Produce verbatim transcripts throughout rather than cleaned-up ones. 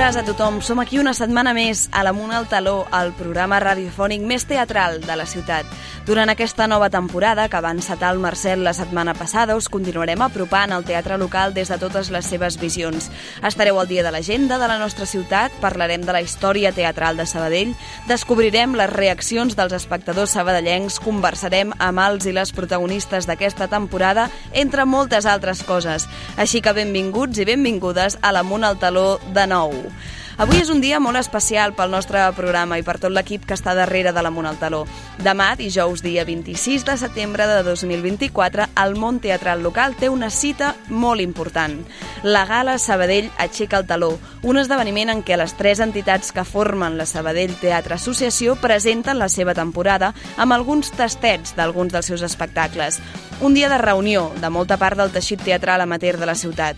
tardes a tothom. Som aquí una setmana més a l'Amunt al Taló, el programa radiofònic més teatral de la ciutat. Durant aquesta nova temporada, que va encetar el Marcel la setmana passada, us continuarem apropant al teatre local des de totes les seves visions. Estareu al dia de l'agenda de la nostra ciutat, parlarem de la història teatral de Sabadell, descobrirem les reaccions dels espectadors sabadellencs, conversarem amb els i les protagonistes d'aquesta temporada, entre moltes altres coses. Així que benvinguts i benvingudes a l'Amunt al Taló de nou. Avui és un dia molt especial pel nostre programa i per tot l'equip que està darrere de l'Amunt al Taló. Demà, dijous, dia vint-i-sis de setembre de dos mil vint-i-quatre, el món teatral local té una cita molt important. La Gala Sabadell aixeca el taló, un esdeveniment en què les tres entitats que formen la Sabadell Teatre Associació presenten la seva temporada amb alguns tastets d'alguns dels seus espectacles. Un dia de reunió de molta part del teixit teatral amateur de la ciutat.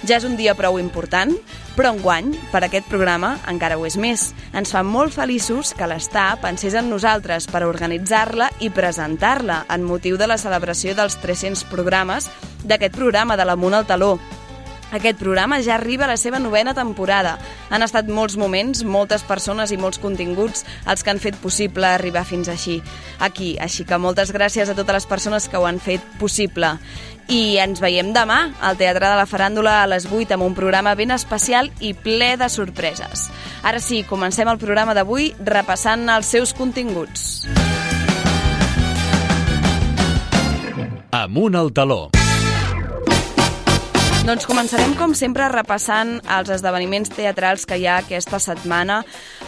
Ja és un dia prou important, però enguany, per aquest programa, encara ho és més. Ens fa molt feliços que l'Està pensés en nosaltres per organitzar-la i presentar-la en motiu de la celebració dels tres-cents programes d'aquest programa de l'Amunt al Taló. Aquest programa ja arriba a la seva novena temporada. Han estat molts moments, moltes persones i molts continguts els que han fet possible arribar fins així. Aquí, així que moltes gràcies a totes les persones que ho han fet possible. I ens veiem demà al Teatre de la Faràndula a les vuit amb un programa ben especial i ple de sorpreses. Ara sí, comencem el programa d'avui repassant els seus continguts. Amunt al Taló. Doncs començarem, com sempre, repassant els esdeveniments teatrals que hi ha aquesta setmana,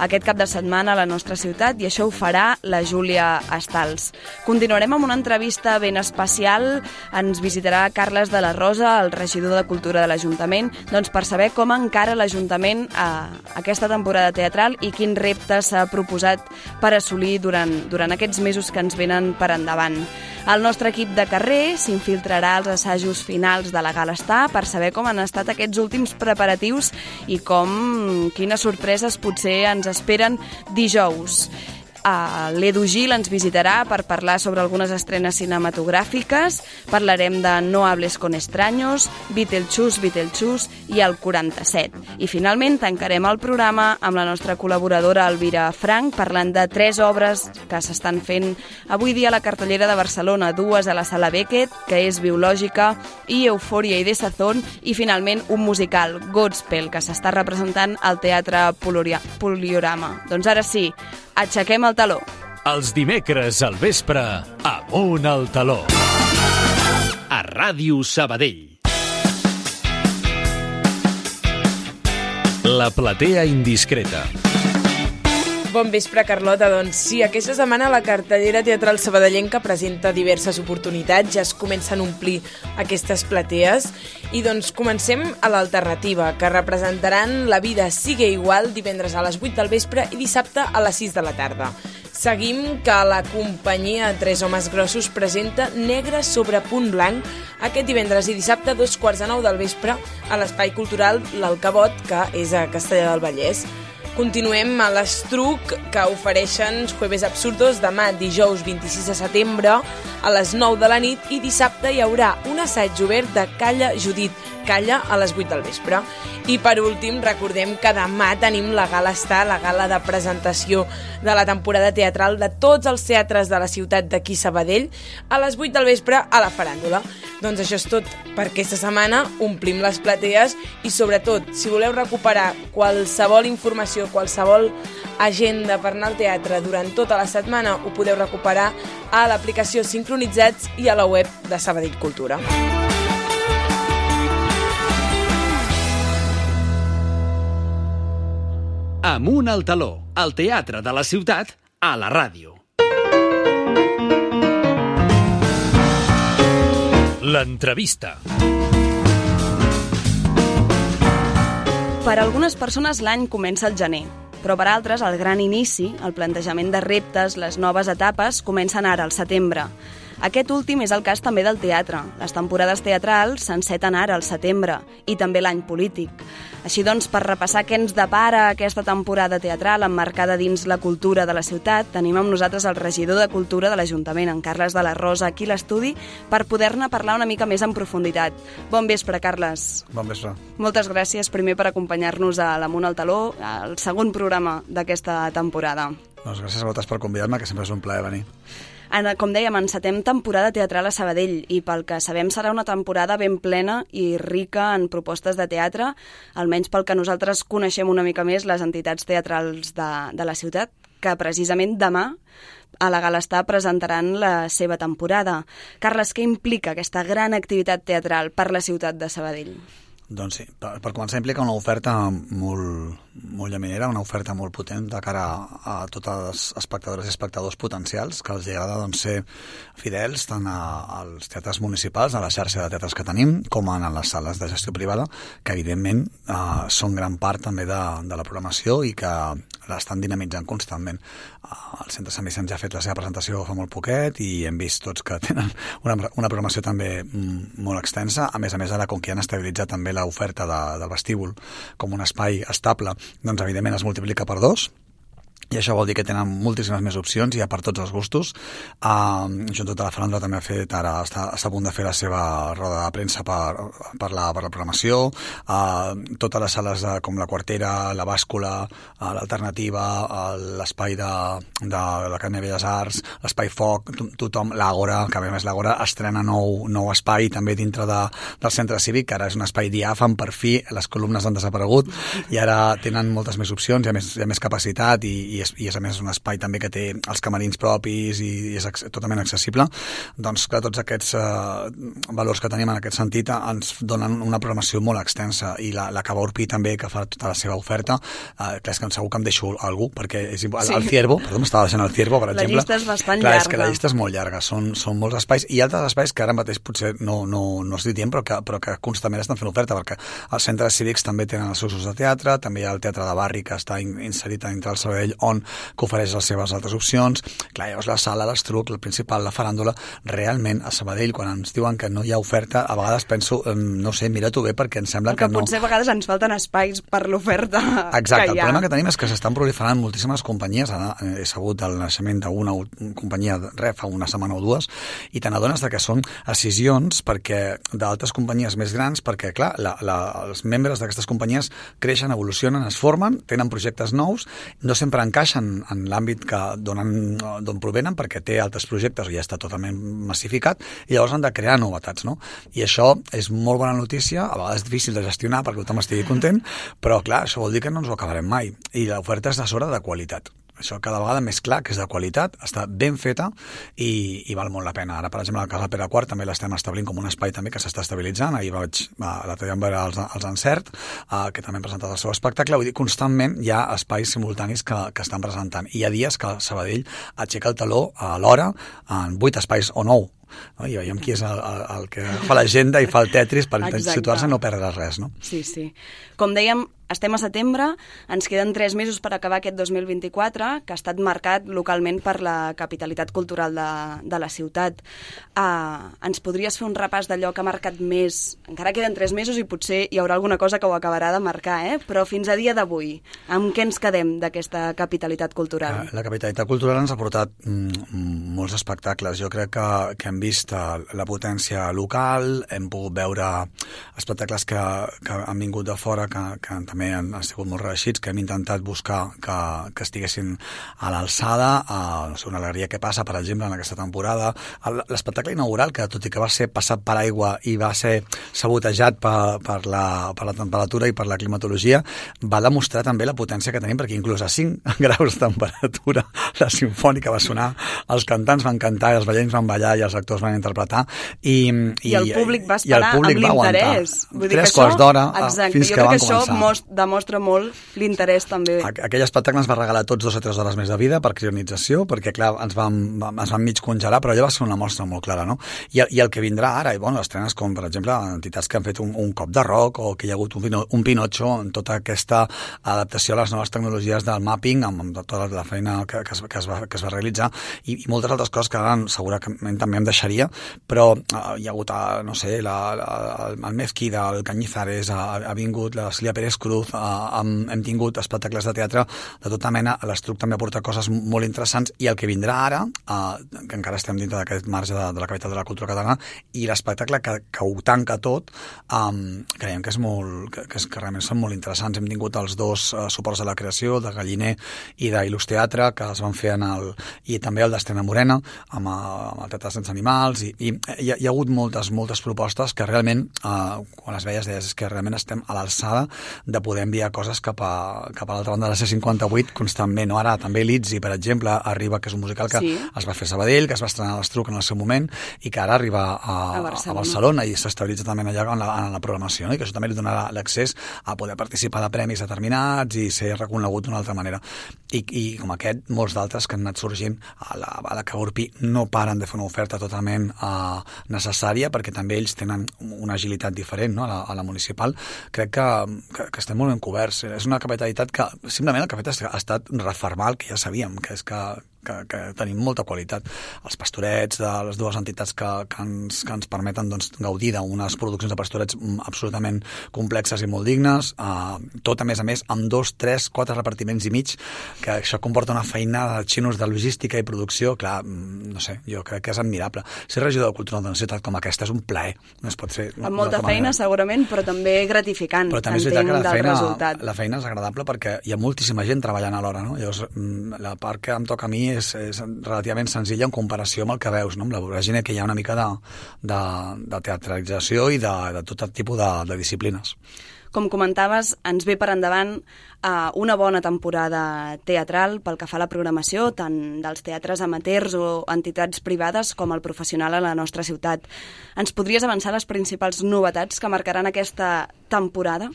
aquest cap de setmana a la nostra ciutat, i això ho farà la Júlia Estals. Continuarem amb una entrevista ben especial. Ens visitarà Carles de la Rosa, el regidor de Cultura de l'Ajuntament, doncs per saber com encara l'Ajuntament a aquesta temporada teatral i quins reptes s'ha proposat per assolir durant, durant aquests mesos que ens venen per endavant. El nostre equip de carrer s'infiltrarà als assajos finals de la Gala Està per saber com han estat aquests últims preparatius i com, quines sorpreses potser ens esperen dijous. Uh, L'Edu Gil ens visitarà per parlar sobre algunes estrenes cinematogràfiques, parlarem de No hables con extraños, Beetlejuice, Beetlejuice i el quaranta-set. I finalment tancarem el programa amb la nostra col·laboradora Elvira Frank parlant de tres obres que s'estan fent avui dia a la cartellera de Barcelona, dues a la Sala Beckett, que és Biològica i Eufòria i Desazón, i finalment un musical, Godspell, que s'està representant al Teatre Poliorama. Doncs ara sí, aixequem el taló. Els dimecres al vespre, Amunt al Taló. A Ràdio Sabadell. La platea indiscreta. Bon vespre, Carlota. Doncs sí, aquesta setmana la cartellera teatral sabadellenca presenta diverses oportunitats, ja es comencen a omplir aquestes platees i doncs comencem a l'alternativa, que representaran La vida sigue igual divendres a les vuit del vespre i dissabte a les sis de la tarda. Seguim que la companyia Tres homes grossos presenta Negre sobre punt blanc aquest divendres i dissabte a dos quarts de nou del vespre a l'Espai Cultural L'Alcabot, que és a Castellar del Vallès. Continuem a l'Estruc, que ofereixen Jueves Absurdos demà, dijous vint-i-sis de setembre, a les nou de la nit, i dissabte hi haurà un assaig obert de Calla Judit, Calla a les vuit del vespre. I per últim, recordem que demà tenim la Gala Està, la gala de presentació de la temporada teatral de tots els teatres de la ciutat d'aquí Sabadell, a les vuit del vespre a la Faràndula. Doncs això és tot per aquesta setmana, omplim les platees i sobretot, si voleu recuperar qualsevol informació, qualsevol agenda per anar al teatre durant tota la setmana, ho podeu recuperar a l'aplicació Sincronitzats i a la web de Sabadell Cultura. Amunt al Taló, el teatre de la ciutat a la ràdio. L'entrevista. Per a algunes persones l'any comença al gener, però per altres el gran inici, el plantejament de reptes, les noves etapes, comencen ara, al setembre. Aquest últim és el cas també del teatre. Les temporades teatrals s'enceten ara, al setembre, i també l'any polític. Així doncs, per repassar què ens depara aquesta temporada teatral emmarcada dins la cultura de la ciutat, tenim amb nosaltres el regidor de Cultura de l'Ajuntament, en Carles de la Rosa, aquí a l'estudi, per poder-ne parlar una mica més en profunditat. Bon vespre, Carles. Bon vespre. Moltes gràcies primer per acompanyar-nos a l'Amunt al Taló, al segon programa d'aquesta temporada. Doncs gràcies a vosaltres per convidar-me, que sempre és un plaer venir. Com dèiem, encetem temporada teatral a Sabadell i pel que sabem serà una temporada ben plena i rica en propostes de teatre, almenys pel que nosaltres coneixem una mica més les entitats teatrals de, de la ciutat, que precisament demà a la Galestà presentaran la seva temporada. Carles, què implica aquesta gran activitat teatral per la ciutat de Sabadell? Doncs sí, per, per començar implica una oferta molt, molt llaminera, una oferta molt potent de cara a, a tots els espectadors i espectadors potencials que els agrada doncs, ser fidels tant a, als teatres municipals, a la xarxa de teatres que tenim, com a les sales de gestió privada, que evidentment eh, són gran part també de, de la programació i que l'estan dinamitzant constantment. El Centre Sant Vicenç ja ha fet la seva presentació fa molt poquet i hem vist tots que tenen una, una programació també molt extensa. A més a més, ara, com que ja han estabilitzat també l'oferta de, del vestíbul com un espai estable, doncs evidentment es multiplica per dos. I això vol dir que tenen moltíssimes més opcions, ja per tots els gustos. Uh, Junta de la Faràndula també ha fet, ara està, està a punt de fer la seva roda de premsa per, per, la, per la programació. Uh, totes les sales de, com la Quartera, la Bàscula, uh, l'Alternativa, uh, l'espai de, de l'Acadèmia de Belles Arts, l'espai Foc, tothom, l'Àgora, que a més l'Àgora estrena nou, nou espai també dintre de, del centre cívic, que ara és un espai diàfan, per fi les columnes han desaparegut i ara tenen moltes més opcions, hi ha més, hi ha més capacitat i, i és, i és a més un espai també que té els camerins propis i, i és totalment accessible. Doncs clar, tots aquests eh, valors que tenim en aquest sentit ens donen una programació molt extensa i la, la Cava Urpí també, que fa tota la seva oferta, eh, clar, és que segur que em deixo algú, perquè és igual, sí. El Ciervo, perdó, m'estava deixant el Ciervo, per exemple. La llista és bastant clar, llarga. És que la llista és molt llarga, són, són molts espais i altres espais que ara mateix potser no, no, no estic dient, però que, però que constantment estan fent oferta, perquè els centres cívics també tenen els seus usos de teatre, també hi ha el Teatre de Barri que està inserit dintre el Sabadell, on que ofereix les seves altres opcions. Clar, llavors la sala, l'Estruc, el Principal, la Faràndula, realment a Sabadell, quan ens diuen que no hi ha oferta, a vegades penso, no sé, mira-t'ho bé, perquè em sembla que, que no... Potser a vegades ens falten espais per l'oferta que hi ha. Exacte, el problema que tenim és que s'estan proliferant moltíssimes companyies, ara he sabut del naixement d'una companyia re, fa una setmana o dues, i te n'adones que són escissions perquè d'altres companyies més grans, perquè clar, la, la, els membres d'aquestes companyies creixen, evolucionen, es formen, tenen projectes nous, no sempre encaixen en l'àmbit que donen, d'on provenen, perquè té altres projectes o ja està totalment massificat, i llavors han de crear novetats, no? I això és molt bona notícia, a vegades és difícil de gestionar perquè tothom estigui content, però clar, això vol dir que no ens ho acabarem mai, i l'oferta és de sobre de qualitat. Això cada vegada més clar, que és de qualitat, està ben feta i, i val molt la pena. Ara, per exemple, a la Casa Pere quart també l'estem establint com un espai també que s'està estabilitzant. Ahir vaig, l'altre dia vam veure els, els Encert, uh, que també han presentat el seu espectacle. Vull dir, constantment hi ha espais simultanis que, que estan presentant. I hi ha dies que Sabadell aixeca el taló a l'hora en vuit espais o nou. No? I veiem qui és el, el, el que fa l'agenda i fa el Tetris per situar-se i no perdre res, no? Sí, sí. Com dèiem, estem a setembre, ens queden tres mesos per acabar aquest dos mil vint-i-quatre, que ha estat marcat localment per la capitalitat cultural de, de la ciutat. Uh, ens podries fer un repàs d'allò que ha marcat més? Encara queden tres mesos i potser hi haurà alguna cosa que ho acabarà de marcar, eh? Però fins a dia d'avui, amb què ens quedem d'aquesta capitalitat cultural? La capitalitat cultural ens ha portat mm, molts espectacles. Jo crec que, que hem vist la potència local, hem pogut veure espectacles que, que han vingut de fora, que, que també han, han sigut molt reeixits, que hem intentat buscar que, que estiguessin a l'alçada, a, no sé, una alegria que passa, per exemple, en aquesta temporada. L'espectacle inaugural, que tot i que va ser passat per aigua i va ser sabotejat per, per, la, per la temperatura i per la climatologia, va demostrar també la potència que tenim, perquè inclús a cinc graus de temperatura la simfònica va sonar, els cantants van cantar, els ballets van ballar i els actors van interpretar i, i, i el públic va esperar amb l'interès. Tres quarts d'hora fins jo que van començar. Jo crec que això demostra molt l'interès també. Aquell espectacle ens va regalar tots dos o tres hores més de vida per crionització, perquè clar, ens vam, ens vam mig congelar, però allò va ser una mostra molt clara, no? I, i el que vindrà ara, i bueno, estrenes com, per exemple, entitats que han fet un, un cop de rock o que hi ha hagut un, un Pinocho en tota aquesta adaptació a les noves tecnologies del mapping, amb, amb tota la feina que, que, es, que, es va, que es va realitzar, i, i moltes altres coses que ara segurament també em deixaria, però eh, hi ha hagut, a, no sé, la, la, el Mezquida, el Cañizares, ha, ha vingut la Celia Pérez Cruz, eh, hem, hem tingut espectacles de teatre de tota mena, l'Estruc també aporta coses molt interessants, i el que vindrà ara, eh, que encara estem dintre d'aquest marge de, de la capital de la cultura catalana, i l'espectacle que, que ho tanca tot, eh, creiem que és molt, que, que, és, que realment són molt interessants. Hem tingut els dos eh, suports de la creació, de Galliner i d'Il·lus Teatre, que es van fer en el... i també el d'Estrena Morena, amb, amb el Teatre Sense Animals, i, i hi, ha, hi ha hagut moltes, moltes propostes que realment, eh, quan les veies, deies que realment estem a l'alçada de poder enviar coses cap a, cap a l'altra banda de la C cinquanta-vuit constantment, no? Ara també l'Itzi, per exemple, arriba, que és un musical que sí. es va fer a Sabadell, que es va estrenar a l'Estruc en el seu moment, i que ara arriba a, a, Barcelona. a Barcelona i s'estabilitza també allà en la, en la programació, no? I que això també li donarà l'accés a poder participar de premis determinats i ser reconegut d'una altra manera. I, i com aquest, molts d'altres que han anat sorgint a la, a la que Urpi no paren de fer una oferta totalment uh, necessària, perquè també ells tenen una agilitat diferent, no? a, la, a la municipal. Crec que, que, que estem molt ben coberts. És una capitalitat que simplement el que ha fet ha estat refermar el que ja sabíem, que és que Que, que tenim molta qualitat. Els pastorets de les dues entitats que, que, ens, que ens permeten doncs, gaudir d'unes produccions de pastorets absolutament complexes i molt dignes, uh, tot a més a més amb dos, tres, quatre repartiments i mig, que això comporta una feinada de xinos de logística i producció, clar, no sé, jo crec que és admirable. Ser regidor de cultura d'una ciutat com aquesta és un plaer, no es pot fer... Amb molta feina, segurament, però també gratificant, però també entenc, que la del feina, resultat. La feina és agradable perquè hi ha moltíssima gent treballant alhora, no? Llavors, la part que em toca a mi és, és relativament senzilla en comparació amb el que veus, no? Amb la voràgine que hi ha una mica de, de, de teatralització i de, de tot tipus de, de disciplines. Com comentaves, ens ve per endavant uh, una bona temporada teatral pel que fa a la programació, tant dels teatres amateurs o entitats privades com el professional a la nostra ciutat. Ens podries avançar les principals novetats que marcaran aquesta temporada?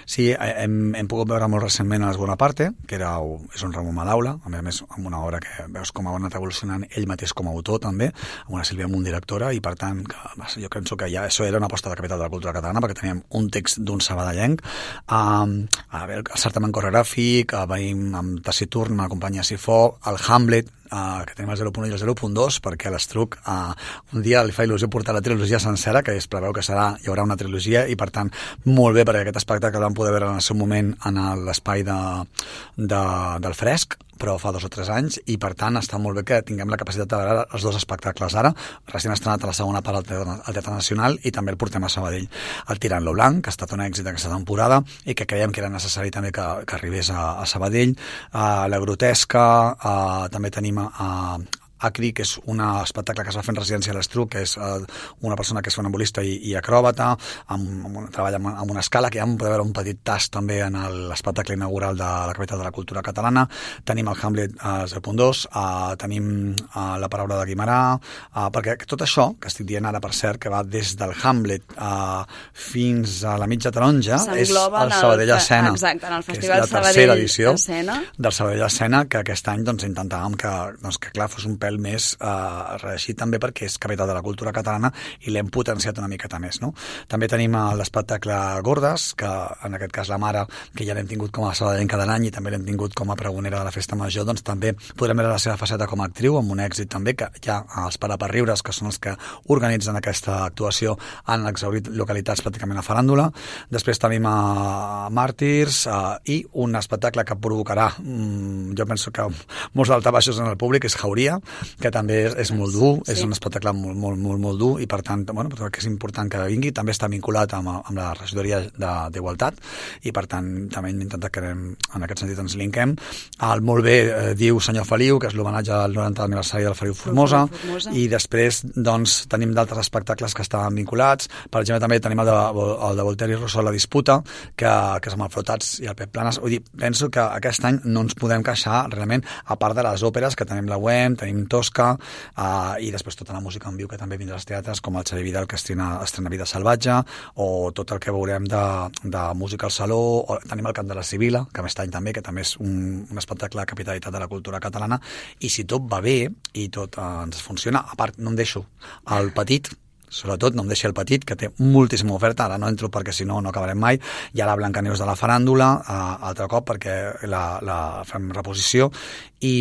Sí, hem, hem pogut veure molt recentment a l'Esgona Parte, que era, és un Ramon Madaula, a més a més amb una obra que veus com ha anat evolucionant ell mateix com a autor també, amb una Sílvia Munt directora, i per tant que, jo penso que ja això era una aposta de capital de la cultura catalana, perquè teníem un text d'un sabadellenc, um, a veure, el certamen coreogràfic, venim amb Taciturn, amb la companyia Sifó, el Hamlet, Uh, que tenim el zero punt u i el zero punt dos, perquè a l'Estruc uh, un dia li fa il·lusió portar la trilogia sencera, que es preveu que serà, hi haurà una trilogia, i per tant molt bé, perquè aquest espectacle el vam poder veure en el seu moment en l'espai de, de, del Fresc, però fa dos o tres anys, i per tant està molt bé que tinguem la capacitat de veure els dos espectacles ara, recent estrenat a la segona part al Teatre, al Teatre Nacional, i també el portem a Sabadell. El Tirant-lo Blanc, que ha estat un èxit aquesta temporada i que creiem que era necessari també que, que arribés a, a Sabadell. Uh, la Grotesca, uh, també tenim a Acri, que és un espectacle que es va fer en residència a l'Estruc, que és uh, una persona que és funambulista i, i acròbata, amb, amb un, treballa amb, amb una escala, que ja vam poder veure un petit tast també en l'espectacle inaugural de la capital de la cultura catalana. Tenim el Hamlet uh, zero punt dos, uh, tenim uh, la paraula de Guimarà, uh, perquè tot això, que estic dient ara per cert, que va des del Hamlet uh, fins a la mitja taronja, és el Sabadell Escena, exacte, en el que és la tercera Sabadell edició Escena. del Sabadell Escena, que aquest any doncs, intentàvem que, doncs, que clar, fos un pèl més eh, reeixit també perquè és capital de la cultura catalana i l'hem potenciat una miqueta més, no? També tenim l'espectacle Gordes, que en aquest cas la mare, que ja l'hem tingut com a sabadellenca de l'any i també l'hem tingut com a pregonera de la festa major, doncs també podrem veure la seva faceta com a actriu, amb un èxit també que ja els Paraperriures, que són els que organitzen aquesta actuació, han exhaurit localitats pràcticament a faràndula. Després tenim a Màrtirs eh, i un espectacle que provocarà, mm, jo penso que molts daltabaixos en el públic, és Jauria, que també és, és molt dur, sí. És un espectacle molt, molt, molt, molt dur, i per tant, bueno, que és important que vingui. També està vinculat amb, amb la regidoria d'Igualtat, i per tant també hem intentat que en aquest sentit ens linkem. El molt bé eh, diu Senyor Feliu, que és l'homenatge al norantè aniversari del Feliu Formosa, Formosa, i després doncs tenim d'altres espectacles que estaven vinculats. Per exemple, també tenim el de, el de Voltaire i Rousseau, La disputa, que, que és amb el Flotats i el Pep Planes. Vull dir, penso que aquest any no ens podem queixar realment, a part de les òperes, que tenim la U E M, tenim Tosca, uh, i després tota la música en viu que també vindrà als teatres, com el Xavier Vidal, que estrena, estrena Vida Salvatge, o tot el que veurem de, de música al saló, o tenim el Cant de la Sibila, que aquest any també, que també és un, un espectacle de capitalitat de la cultura catalana, i si tot va bé i tot uh, ens funciona, a part, no em deixo el petit, sobretot no em deixi el petit, que té moltíssima oferta, ara no entro perquè si no no acabarem mai, hi ha la Blancaneus de la faràndula, uh, altre cop perquè la, la fem reposició, i...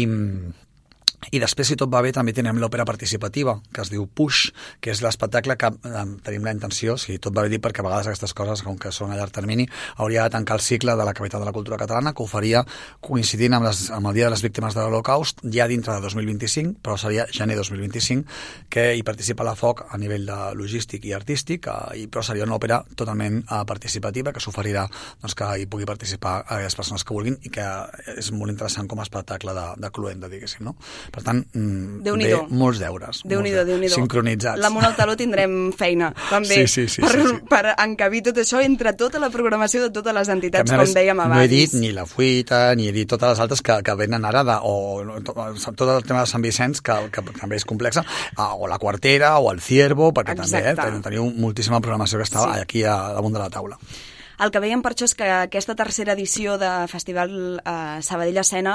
I després, si tot va bé, també tenim l'òpera participativa, que es diu Push, que és l'espectacle que eh, tenim la intenció, si tot va bé dir, perquè a vegades aquestes coses, com que són a llarg termini, hauria de tancar el cicle de la capital de la cultura catalana, que ho faria coincidint amb, les, amb el Dia de les Víctimes de l'Holocaust, ja dintre de dos mil vint-i-cinc, però seria gener dos mil vint-i-cinc, que hi participa la F O C a nivell de logístic i artístic, eh, i, però seria una òpera totalment eh, participativa, que s'oferirà doncs, que hi pugui participar a les persones que vulguin, i que és molt interessant com a espectacle de, de cluenda, diguéssim, no? Per tant, bé, molts deures. Déu-n'hi-do, Déu-n'hi-do. Sincronitzats. L'Amunt al Taló tindrem feina, també, sí, sí, sí, per, sí, sí. per encabir tot això entre tota la programació de totes les entitats, que, com dèiem abans. No he dit ni la Fuita, ni he dit totes les altres que, que venen ara, de, o tot, tot el tema de Sant Vicenç, que, que, que també és complexa, o la Quartera, o el Ciervo, perquè Exacte. també eh, teniu moltíssima programació que està sí. aquí a, damunt de la taula. El que veiem per això és que aquesta tercera edició de Festival eh, Sabadell Escena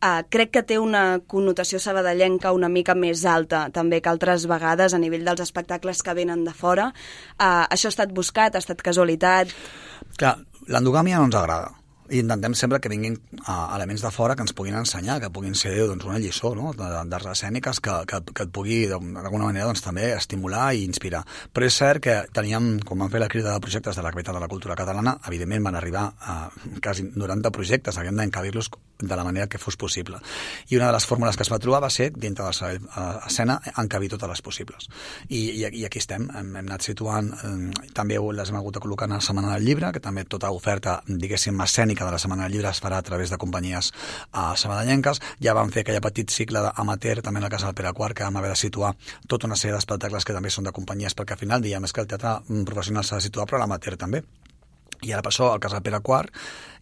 eh, crec que té una connotació sabadellenca una mica més alta també que altres vegades a nivell dels espectacles que venen de fora. Eh, això ha estat buscat, ha estat casualitat? Clar, l'endogàmia no ens agrada. I intentem sempre que vinguin uh, elements de fora que ens puguin ensenyar, que puguin ser doncs, una lliçó, no? d'arts escèniques que, que, que et pugui d'alguna manera doncs, també estimular i inspirar. Però és cert que teníem, com vam fer la crida de projectes de la capital de la cultura catalana, evidentment van arribar a quasi noranta projectes, havíem d'encabir-los de la manera que fos possible. I una de les fórmules que es va trobar va ser, dintre de l'escena, encabir totes les possibles. I, i, i aquí estem, hem, hem anat situant, eh, també les hem hagut de col·locar a la Setmana del Llibre, que també tota oferta, diguéssim, escènica de la Setmana del Llibre es farà a través de companyies uh, sabadellenques. Ja vam fer aquell petit cicle amateur també a la Casa del Pere quart, que vam haver de situar tota una sèrie d'espectacles que també són de companyies, perquè al final diem és que el teatre professional s'ha de situar, però l'amateur també. I ara per això al Casa del Pere quart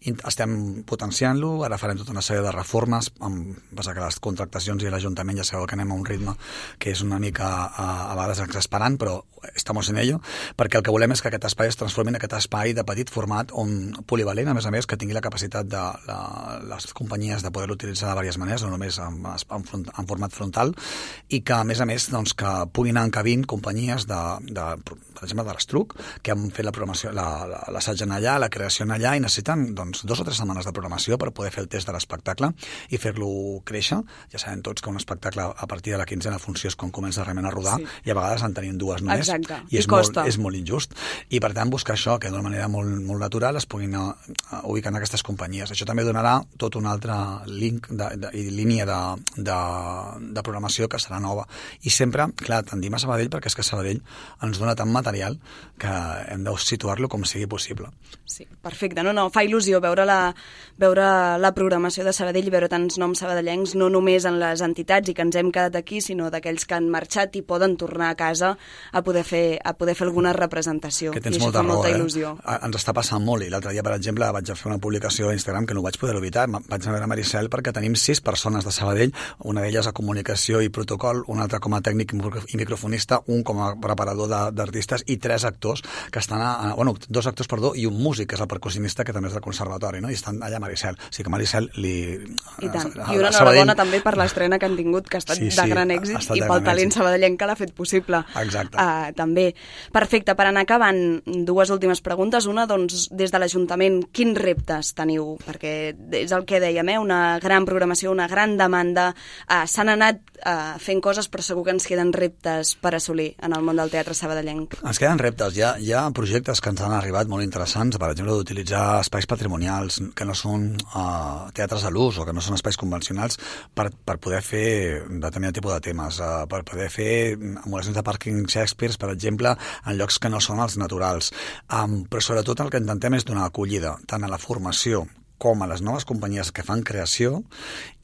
estem potenciant-lo, ara farem tota una sèrie de reformes, amb, passa que les contractacions i l'Ajuntament ja sabeu que anem a un ritme que és una mica a, a vegades exasperant, però estamos en ello, perquè el que volem és que aquest espai es transformi en aquest espai de petit format on polivalent, a més a més, que tingui la capacitat de la, les companyies de poder-lo utilitzar de diverses maneres, no només en, en, front, en format frontal, i que a més a més doncs, que puguin anar encabint companyies de, de, per exemple de l'Estruc, que han fet la programació, l'assaig en allà, la creació en allà, i necessiten doncs, dos o tres setmanes de programació per poder fer el test de l'espectacle i fer-lo créixer. Ja sabem tots que un espectacle a partir de la quinzena funció és quan comença realment a rodar, sí. i a vegades en tenim dues només. Exacte. I, és, I molt, és molt injust. I per tant buscar això, que d'una manera molt, molt natural es puguin uh, ubicar en aquestes companyies. Això també donarà tot un altre link de, de, i línia de, de, de programació que serà nova. I sempre, clar, tendim a Sabadell perquè és que Sabadell ens dona tant material que hem de situar-lo com sigui possible. Sí, perfecte. No, no, fa il·lusió veure la, veure la programació de Sabadell i veure tants noms sabadellencs, no només en les entitats i que ens hem quedat aquí, sinó d'aquells que han marxat i poden tornar a casa a poder fer, a poder fer alguna representació. Que tens I molta raó, molta eh? il·lusió. Ens està passant molt, i l'altre dia, per exemple, vaig fer una publicació a Instagram que no ho vaig poder evitar, vaig anar a veure Maricel perquè tenim sis persones de Sabadell, una d'elles a comunicació i protocol, una altra com a tècnic i microfonista, un com a preparador d'artistes i tres actors que estan a, bueno, dos actors, perdó, i un músic, que és el percussionista, que també és del conservatori, no? I estan allà a Maricel. O sigui que Maricel li... I tant. I una enhorabona també per l'estrena que han tingut, que ha estat sí, sí, de gran èxit, i pel talent sabadellenc que l'ha fet possible. Exacte. Uh, també. Perfecte. Per anar acabant, dues últimes preguntes. Una, doncs, des de l'Ajuntament, quins reptes teniu? Perquè és el que dèiem, eh? Una gran programació, una gran demanda. Uh, S'han anat uh, fent coses, però segur que ens queden reptes per assolir en el món del teatre sabadellenc. Ens queden reptes. Hi ha, hi ha projectes que ens han arribat molt interessants, per exemple, d'utilitzar espais patrimonials que no són uh, teatres a l'ús o que no són espais convencionals per, per poder fer determinat tipus de temes, uh, per poder fer emulacions de pàrquing Shakespeare, per exemple, en llocs que no són els naturals. Um, però sobretot el que intentem és donar acollida tant a la formació com a les noves companyies que fan creació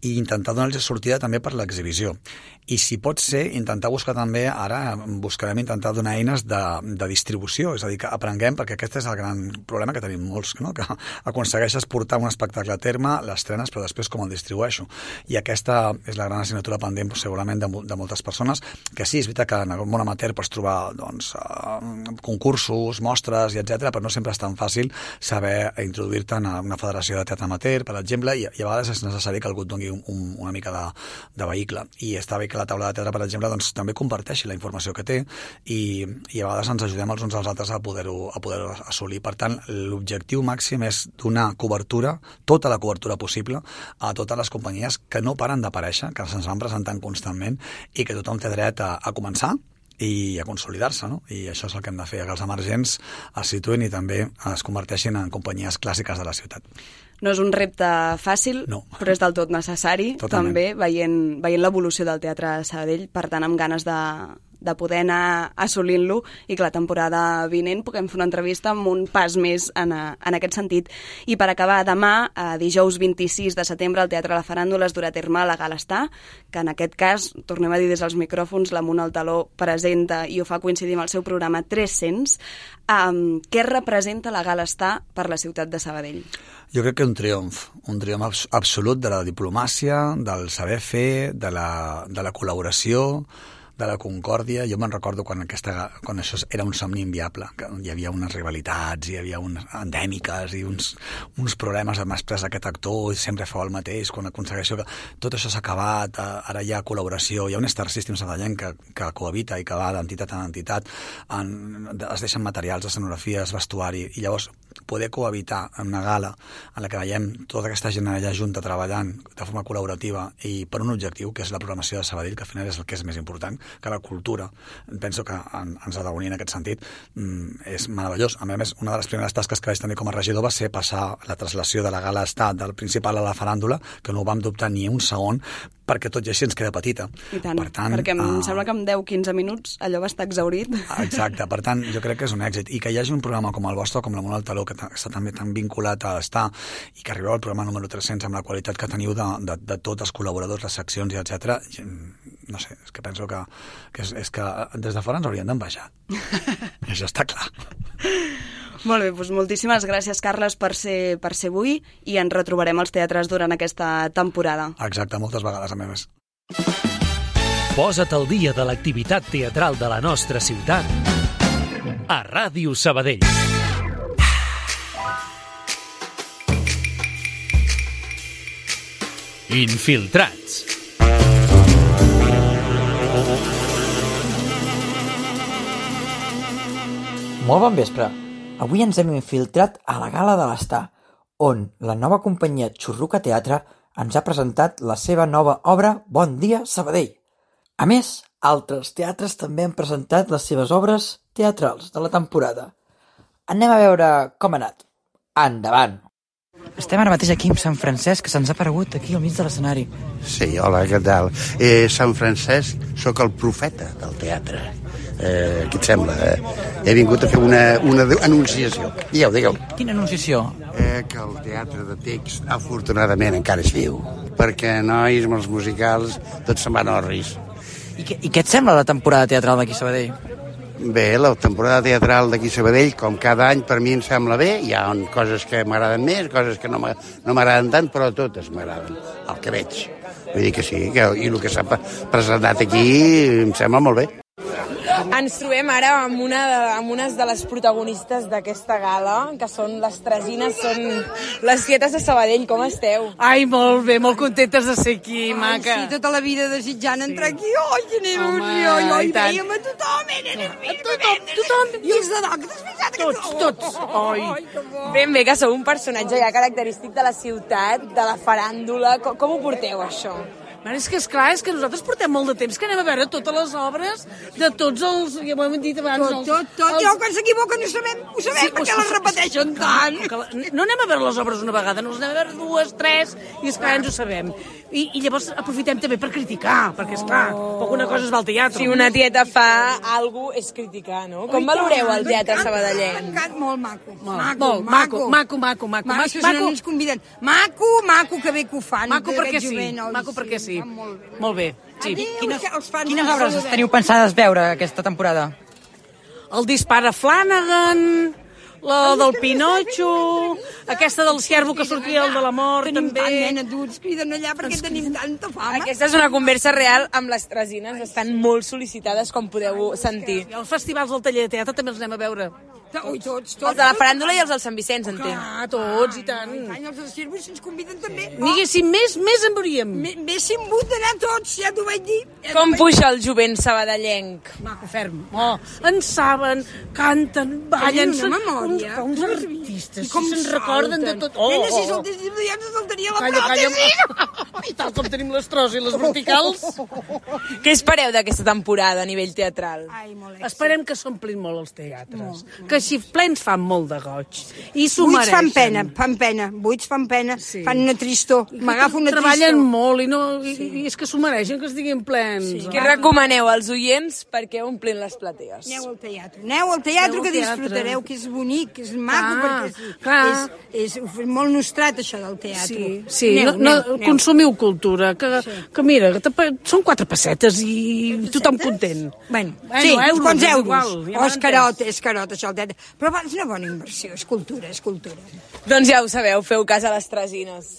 i intentar donar-los sortida també per l'exhibició. I si pot ser, intentar buscar també, ara buscarem intentar donar eines de, de distribució, és a dir, que aprenguem, perquè aquest és el gran problema que tenim molts, no? Que aconsegueixes portar un espectacle a terme, l'estrenes, però després com el distribueixo. I aquesta és la gran assignatura pendent, segurament, de, de moltes persones, que sí, és veritat que en el món amateur pots trobar doncs, concursos, mostres, i etcètera, però no sempre és tan fàcil saber introduir-te en una federació de teatre amateur, per exemple, i, i a vegades és necessari que algú et doni un, un, una mica de, de vehicle. I està bé que la taula de teatre, per exemple, doncs, també comparteixi la informació que té i, i a vegades ens ajudem els uns als altres a poder-ho a poder assolir. Per tant, l'objectiu màxim és donar cobertura, tota la cobertura possible, a totes les companyies que no paren d'aparèixer, que se'ns van presentant constantment i que tothom té dret a, a començar i a consolidar-se, no? I això és el que hem de fer, que els emergents es situïn i també es converteixin en companyies clàssiques de la ciutat. No és un repte fàcil, no. Però és del tot necessari, totalment. També, veient, veient l'evolució del teatre a Sabadell, per tant, amb ganes de, de poder anar assolint-lo i que la temporada vinent puguem fer una entrevista amb un pas més en, a, en aquest sentit. I per acabar, demà, a dijous vint-i-sis de setembre, el Teatre La Faràndula es durà a terme la Gala Estar, que en aquest cas, tornem a dir des dels micròfons, la Muna Altaló presenta i ho fa coincidir amb el seu programa tres-cents. Um, què representa la Gala Estar per la ciutat de Sabadell? Jo crec que un triomf, un triomf absolut de la diplomàcia, del saber fer, de la, de la col·laboració, de la concòrdia. Jo me'n recordo quan, aquesta, quan això era un somni inviable, que hi havia unes rivalitats, hi havia unes endèmiques i uns, uns problemes amb després aquest actor, i sempre fa el mateix, quan aconsegueixo que tot això s'ha acabat, ara hi ha col·laboració, hi ha un Star System sabadellenc que, que cohabita i que va d'entitat en entitat, en, es deixen materials, escenografies, vestuari, i llavors poder cohabitar en una gala en la que veiem tota aquesta gent allà junta treballant de forma col·laborativa i per un objectiu, que és la programació de Sabadell, que al final és el que és més important, que la cultura, penso que en, ens ha d'unir en aquest sentit, mm, és meravellós. A més, una de les primeres tasques que vaig tenir com a regidor va ser passar la traslació de la Gala Estar del principal a la Faràndula, que no ho vam dubtar ni un segon, perquè tot i així ens queda petita. I tant, per tant perquè em uh... sembla que en deu a quinze minuts allò va estar exhaurit. Exacte, per tant, jo crec que és un èxit. I que hi hagi un programa com el vostre, com la Mona Altaló, que està també tan vinculat a estar, i que arribeu al programa número tres-cents amb la qualitat que teniu de, de, de tots els col·laboradors, les seccions i etcètera, no sé, és que penso que, que, és, és que des de fora ens haurien d'envejar. I això està clar. Molt bé, doncs moltíssimes gràcies, Carles, per ser, per ser avui, i ens retrobarem als teatres durant aquesta temporada. Exacte, moltes vegades, a més. Posa't al dia de l'activitat teatral de la nostra ciutat a Ràdio Sabadell. Infiltrats. Molt bon vespre. Avui ens hem infiltrat a la Gala de l'Estar, on la nova companyia Xurruca Teatre ens ha presentat la seva nova obra Bon dia, Sabadell. A més, altres teatres també han presentat les seves obres teatrals de la temporada. Anem a veure com ha anat. Endavant! Estem ara mateix aquí amb Sant Francesc, que se'ns ha aparegut aquí al mig de l'escenari. Sí, hola, què tal? Eh, Sant Francesc, sóc el profeta del teatre. Eh, què et sembla? Eh? He vingut a fer una, una anunciació. Digueu, digueu. Quina anunciació? Eh, que el teatre de text, afortunadament, encara és viu. Perquè, nois, amb els musicals, tots se'n van a orris. I, que, I què et sembla la temporada teatral d'aquí a Sabadell? Bé, la temporada teatral d'aquí a Sabadell, com cada any, per mi em sembla bé. Hi ha coses que m'agraden més, coses que no m'agraden tant, però totes m'agraden, el que veig. Vull dir que sí, que, i el que s'ha presentat aquí em sembla molt bé. Ens trobem ara amb, una de, amb unes de les protagonistes d'aquesta gala, que són les Tresines, són les tietes de Sabadell. Com esteu? Ai, molt bé, molt contentes de ser aquí, ai, maca. Sí, tota la vida desitjant sí. entrar aquí. Ai, quina il·lusió. Jo hi veiem a tothom, era nerviós. Tothom, tothom. I els de doc, t'has fixat? Tots, tots. Ai. Ai, ben bé, que sou un personatge ja característic de la ciutat, de la faràndula. Com, com ho porteu, això? Bueno, és que, esclar, és que nosaltres portem molt de temps que anem a veure totes les obres de tots els... Ja ho hem dit abans. Tot, tot, tot. Els... Jo, quan s'equivoquen, ho sabem, ho sabem, sí, perquè les repeteixen tant. No anem a veure les obres una vegada, no les anem a veure dues, tres, i esclar, ens ho sabem. I, i llavors aprofitem també per criticar, perquè, esclar, poc una cosa es va al teatre. Si una tieta fa alguna cosa, és criticar, no? Com valoreu el teatre sabadellenc? M'encanta, molt maco. Maco, maco, maco, maco, maco. Maco, no ens conviden. Maco, maco, que bé que ho fan. Maco perquè sí, maco perquè sí. Molt bé. Sí. Quines, quines obres teniu pensades veure aquesta temporada? El Dispara Flanagan, la del Pinotxo, aquesta del ciervo que sortia el de la mort, tenim també. Tenim tant, nena, tu ens criden allà perquè tenim tanta fama. Aquesta és una conversa real amb les tresines, estan molt sol·licitades, com podeu sentir. I els festivals del taller de teatre també els anem a veure. Ui, tots, tots. Els de la faràndula i els del Sant Vicenç, entenc. Clar, tots, i tant. I tant, els del Círcuit ens conviden també. Diguéssim, més, més en veuríem. M'haguéssim hagut d'anar tots, ja t'ho vaig dir. Com puja el jovent sabadellenc? Maco, ferm. Oh, en saben, canten, ballen. Tenen una memòria. Uns artistes, com se'n recorden de tot. Oh, nena, si saltéssim ja ens saltaria la pròtesi. I tal com tenim les tros i les verticals. Què espereu d'aquesta temporada a nivell teatral? Ai, molt èxit. Esperem que s'omplin molt els teatres. Que així plens fan molt de goig. I s'ho Buits mereixen. fan pena, fan pena. Buits fan pena, sí. Fan una tristor. M'agafo una tristor. Treballen molt i, no, i, sí. i és que s'ho mereixen, que estiguin plens. Sí. Què recomaneu als oients perquè omplin les platees? Aneu al teatre. Aneu al teatre, Aneu al que teatre. Disfrutareu, que és bonic, que és maco, Clar, perquè és, clar. és, és, és molt nostrat, això del teatre. Sí, sí. Aneu, no, no, aneu, aneu. consumiu cultura, que, Sí. que mira, que te, són quatre pessetes i tothom content. Bueno, Bueno, sí, euros, quants és euros? igual, ja Oh, és m'entens. carot, és carot, això, el teatre. Però va, és una bona inversió, és cultura, és cultura. Doncs ja ho sabeu, feu cas a les tresines.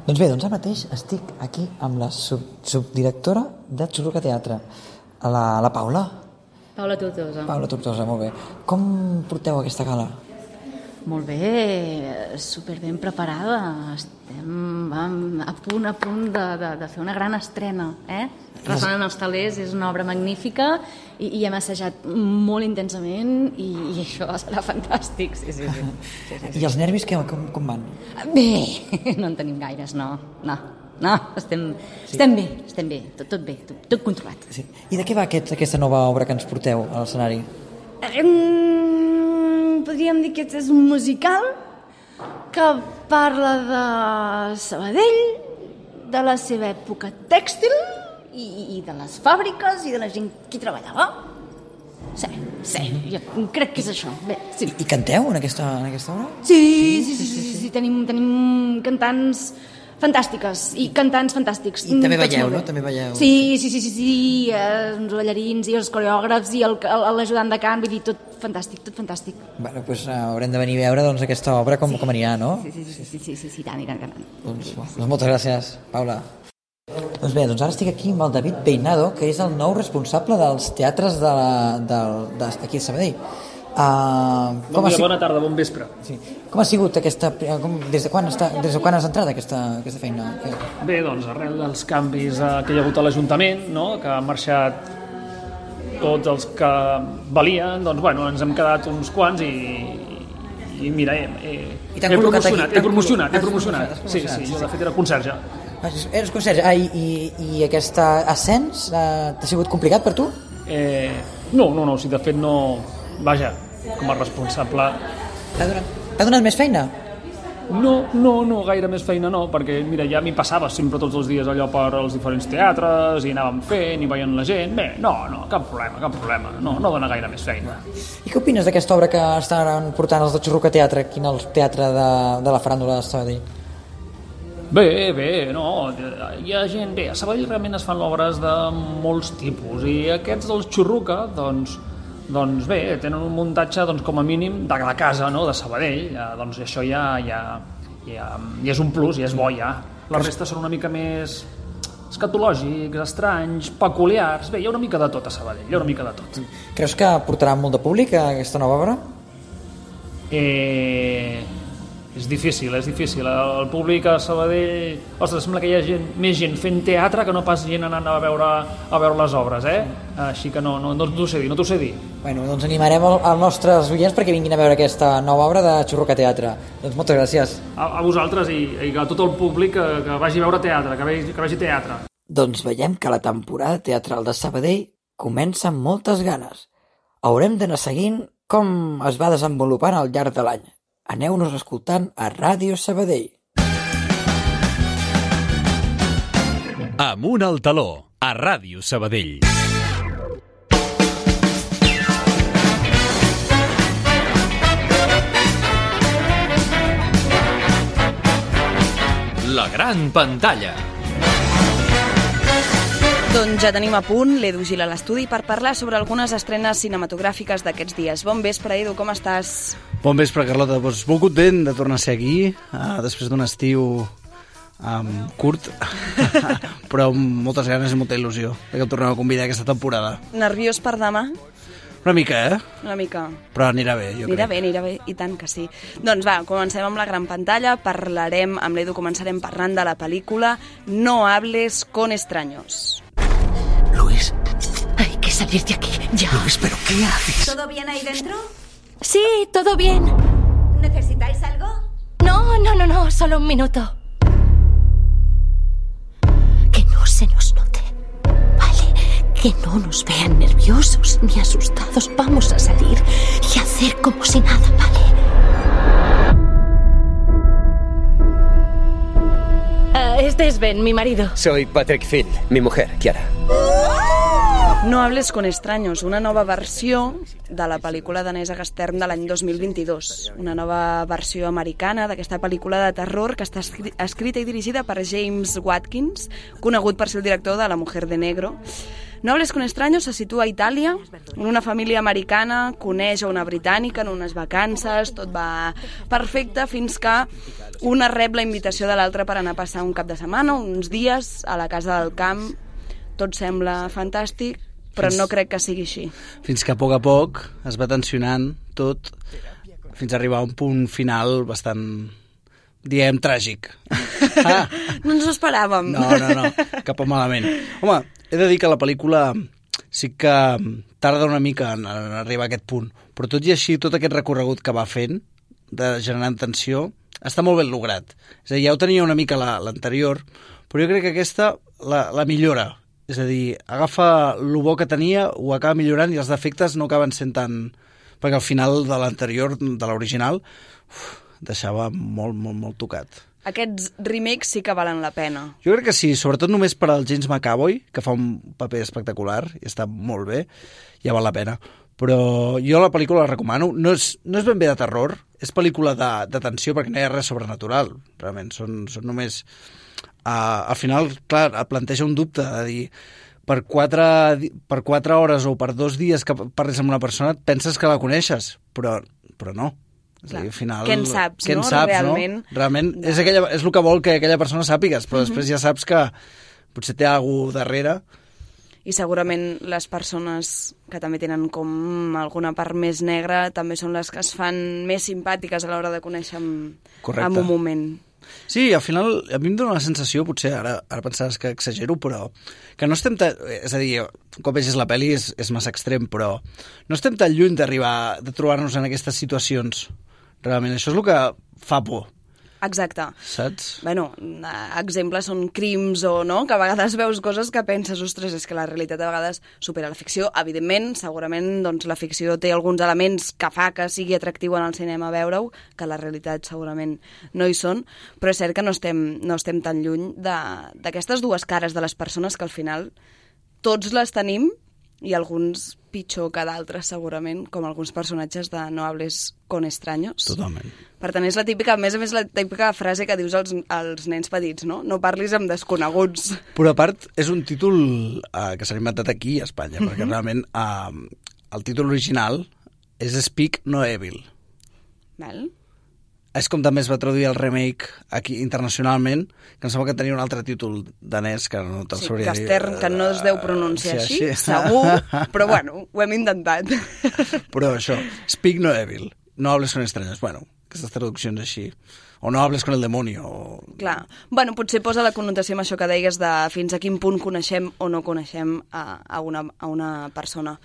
Doncs bé, doncs ara mateix estic aquí amb la sub subdirectora de Xurruca Teatre, la, la Paula. Paula Tortosa. Paula Tortosa, molt bé. Com porteu aquesta gala? Molt bé, superben preparada. Estem vam, a punt, a punt de, de, de fer una gran estrena. Eh? Ressonen els talers és una obra magnífica i, i hem assajat molt intensament i, i això serà fantàstic. Sí, sí, sí. Sí, sí, sí. I els nervis que, com, com van? Bé, no en tenim gaires, no. No, no estem, sí. estem bé, estem bé, tot, tot bé, tot, tot controlat. Sí. I de què va aquest, aquesta nova obra que ens porteu a l'escenari? Um, podríem dir que és un musical que parla de Sabadell, de la seva època tèxtil i, i de les fàbriques i de la gent que hi treballava. Sí, sí, jo crec que és això. Bé, sí. I, I canteu en aquesta, en aquesta obra? Sí, sí, sí, sí, sí, sí. Tenim, tenim cantants fantàstiques i cantants fantàstics. I també veieu, no? També veieu. Sí, sí, sí, sí, sí. Eh, els ballarins i els coreògrafs i l'ajudant de cant, vull dir, tot fantàstic, tot fantàstic. Bueno, doncs uh, haurem de venir a veure doncs, aquesta obra com, sí. com anirà, no? Sí, sí, sí, sí, sí, sí, sí, tant, i tant, i tant. Doncs, doncs moltes gràcies, Paula. Doncs bé, doncs ara estic aquí amb el David Peinado, que és el nou responsable dels teatres de la, del, de, aquí a Sabadell. Uh, bon dia, bona tarda, bon vespre. Sí. Com ha sigut aquesta... Com, des, de quan està, des de quan has entrat aquesta, aquesta feina? Bé, doncs arrel dels canvis eh, que hi ha hagut a l'Ajuntament, no? Que han marxat tots els que valien, doncs bueno, ens hem quedat uns quants i, i mira, he, he, he promocionat, he promocionat, he promocionat. Sí, sí, jo de fet era conserge. Eres conserge. Ah, i, i, i aquest ascens eh, t'ha sigut complicat per tu? Eh, no, no, no, si de fet no... Vaja, com a responsable... T'ha donat, t'ha donat més feina? No, no, no, gaire més feina no, perquè mira, ja m'hi passava sempre tots els dies allò per als diferents teatres i anàvem fent i veient la gent. Bé, no, no, cap problema, cap problema, no, no dona gaire més feina. I què opines d'aquesta obra que estan portant els de Xurruca Teatre aquí al teatre de, de la Faràndula de Sabadell? Bé, bé, no, hi ha gent... Bé, a Sabadell realment es fan obres de molts tipus i aquests dels Xurruca, doncs... Doncs bé, tenen un muntatge doncs, com a mínim de la casa, no?, de Sabadell, ja, doncs això ja, ja, ja, ja és un plus, ja és bo ja. La resta són una mica més escatològics, estranys, peculiars, bé, hi ha una mica de tot a Sabadell, hi ha una mica de tot. Creus que portarà molt de públic a aquesta nova obra? Eh... és difícil, és difícil. El públic a Sabadell... Ostres, sembla que hi ha gent, més gent fent teatre que no pas gent anant a veure, a veure les obres, eh? Així que no, no, no t'ho sé dir, no t'ho sé dir. Bueno, doncs animarem els nostres oients perquè vinguin a veure aquesta nova obra de Xurruca Teatre. Doncs moltes gràcies. A, a vosaltres i, i a tot el públic que, que vagi a veure teatre, que vegi, que vegi teatre. Doncs veiem que la temporada teatral de Sabadell comença amb moltes ganes. Haurem d'anar seguint com es va desenvolupant al llarg de l'any. Aneu-nos escoltant a Ràdio Sabadell. Amunt al taló, a Ràdio Sabadell. La gran pantalla. Doncs ja tenim a punt l'Edu Gil a l'estudi per parlar sobre algunes estrenes cinematogràfiques d'aquests dies. Bon vespre, Edu, com estàs? Bon vespre, Carlota. Doncs molt content de tornar a ser aquí, uh, després d'un estiu um, curt, però amb moltes ganes i molta il·lusió que em tornem a convidar aquesta temporada. Nerviós per demà? Una mica, eh? Una mica. Però anirà bé, jo anirà crec. bé, anirà bé, i tant que sí. Doncs va, comencem amb la gran pantalla. Parlarem, amb l'Edu començarem parlant de la pel·lícula No hables con extraños. Luis. Hay que salir de aquí, ya. Luis, ¿pero qué haces? ¿Todo bien ahí dentro? Sí, todo bien. ¿Necesitáis algo? No, no, no, no, solo un minuto. Que no se nos note. Vale, que no nos vean nerviosos ni asustados. Vamos a salir y hacer como si nada, ¿vale? Uh, este es Ben, mi marido. Soy Patrick Field, mi mujer, Chiara. No hables con extraños, una nova versió de la pel·lícula danesa Gastern de l'any dos mil vint-i-dos. Una nova versió americana d'aquesta pel·lícula de terror que està escrita i dirigida per James Watkins, conegut per ser el director de La mujer de negro. No hables con extraños se situa a Itàlia, on una família americana coneix a una britànica en unes vacances, tot va perfecte fins que una rep la invitació de l'altra per anar a passar un cap de setmana, uns dies a la casa del camp. Tot sembla fantàstic, però no crec que sigui així. Fins que a poc a poc es va tensionant tot, fins a arribar a un punt final bastant, diem, tràgic. Ah. No ens ho esperàvem. No, no, no, cap malament. Home, he de dir que la pel·lícula sí que tarda una mica en arribar a aquest punt, però tot i així, tot aquest recorregut que va fent, de generant tensió, està molt ben lograt. És a dir, ja ho tenia una mica l'anterior, però jo crec que aquesta la, la millora. És a dir, agafa el bo que tenia, ho acaba millorant i els defectes no acaben sent tan... Perquè al final de l'anterior, de l'original, deixava molt, molt, molt tocat. Aquests remakes sí que valen la pena. Jo crec que sí, sobretot només per al James McAvoy, que fa un paper espectacular i està molt bé, ja val la pena. Però jo la pel·lícula la recomano. No és, no és ben bé de terror, és pel·lícula de, de tensió perquè no hi ha res sobrenatural. Realment, són, són només... Uh, al final, clar, planteja un dubte de dir, per quatre, per quatre hores o per dos dies que parles amb una persona et penses que la coneixes, però, però no. És a dir, al final, què en saps, què en no? saps, Realment, no? Realment no. És, aquella, és el que vol que aquella persona sàpigues, però uh-huh. després ja saps que potser té alguna cosa darrere. I segurament les persones que també tenen com alguna part més negra també són les que es fan més simpàtiques a l'hora de conèixer en, en un moment. Sí, al final a mi em dóna la sensació, potser ara, ara pensaràs que exagero, però que no estem tan... És a dir, un cop vegis la pel·li és, és massa extrem, però no estem tan lluny d'arribar, de trobar-nos en aquestes situacions. Realment, això és el que fa por. Exacte. Saps? Bueno, exemples són crims o no, que a vegades veus coses que penses, ostres, és que la realitat a vegades supera la ficció. Evidentment, segurament, doncs, la ficció té alguns elements que fa que sigui atractiu en el cinema veure-ho, que la realitat segurament no hi són, però és cert que no estem, no estem tan lluny d'aquestes dues cares de les persones que al final tots les tenim i alguns pitjor que d'altres segurament, com alguns personatges de No hables con extraños. Totalment. Per tant, és la típica, a més a més, la típica frase que dius als, als nens petits, no? No parlis amb desconeguts. Però a part, és un títol uh, que s'ha inventat aquí a Espanya, uh-huh. perquè realment uh, el títol original és Speak No Evil. Val. És com també es va traduir el remake aquí internacionalment, que em sembla que tenia un altre títol danès que no te'l sí, sabria dir. Gastern, que no es deu pronunciar sí, així, així, segur, però bueno, ho hem intentat. Però això, Speak No Evil, No hables con extraños. Bueno, aquestes traduccions així. O no hables con el demonio. O... Clar. Bueno, potser posa la connotació amb això que deies de fins a quin punt coneixem o no coneixem a, a, una, a una persona.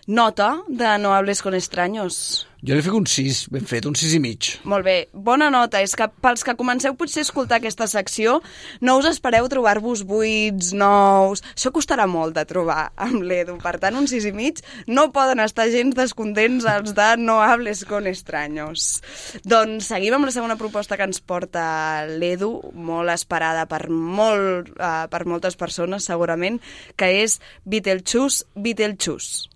Nota de No hables con extraños. Jo li fico un sis, ben fet, un sis i mig. Molt bé, bona nota. És que pels que comenceu potser a escoltar aquesta secció, no us espereu trobar-vos buits, nous... Això costarà molt de trobar amb l'Edu. Per tant, un sis i mig no poden estar gens descontents els de No hables con extraños. Doncs seguim amb la segona proposta que ens porta l'Edu, molt esperada per, molt, uh, per moltes persones, segurament, que és Beetlejuice, Beetlejuice.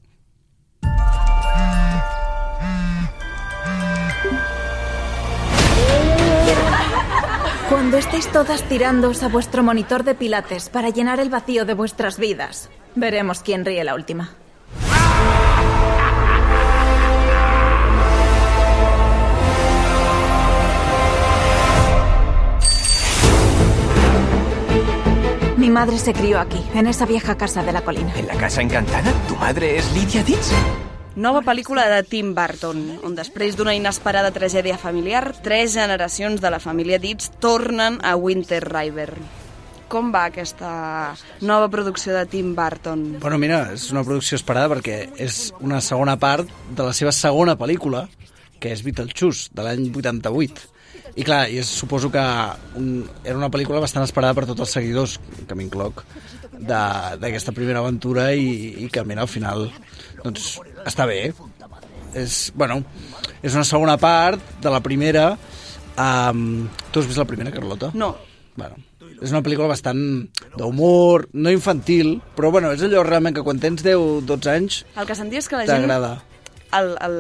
Cuando estéis todas tirándoos a vuestro monitor de pilates para llenar el vacío de vuestras vidas, veremos quién ríe la última. Mi madre se crió aquí, en esa vieja casa de la colina. ¿En la casa encantada? ¿Tu madre es Lydia Ditz? Nova pel·lícula de Tim Burton, on després d'una inesperada tragèdia familiar, tres generacions de la família Ditz tornen a Winter River. Com va aquesta nova producció de Tim Burton? Bueno, mira, és una producció esperada perquè és una segona part de la seva segona pel·lícula, que és Beetlejuice, de l'any vuitanta-vuit. I clar, jo suposo que un, era una pel·lícula bastant esperada per tots els seguidors, que m'incloc, d'aquesta primera aventura i, i que, mira, al final, doncs, està bé. És, bueno, és una segona part de la primera. Um, tu has vist la primera, Carlota? No. Bueno, és una pel·lícula bastant d'humor, no infantil, però bueno, és allò realment que quan tens deu dotze anys el que sentia és que la gent... t'agrada. El, el,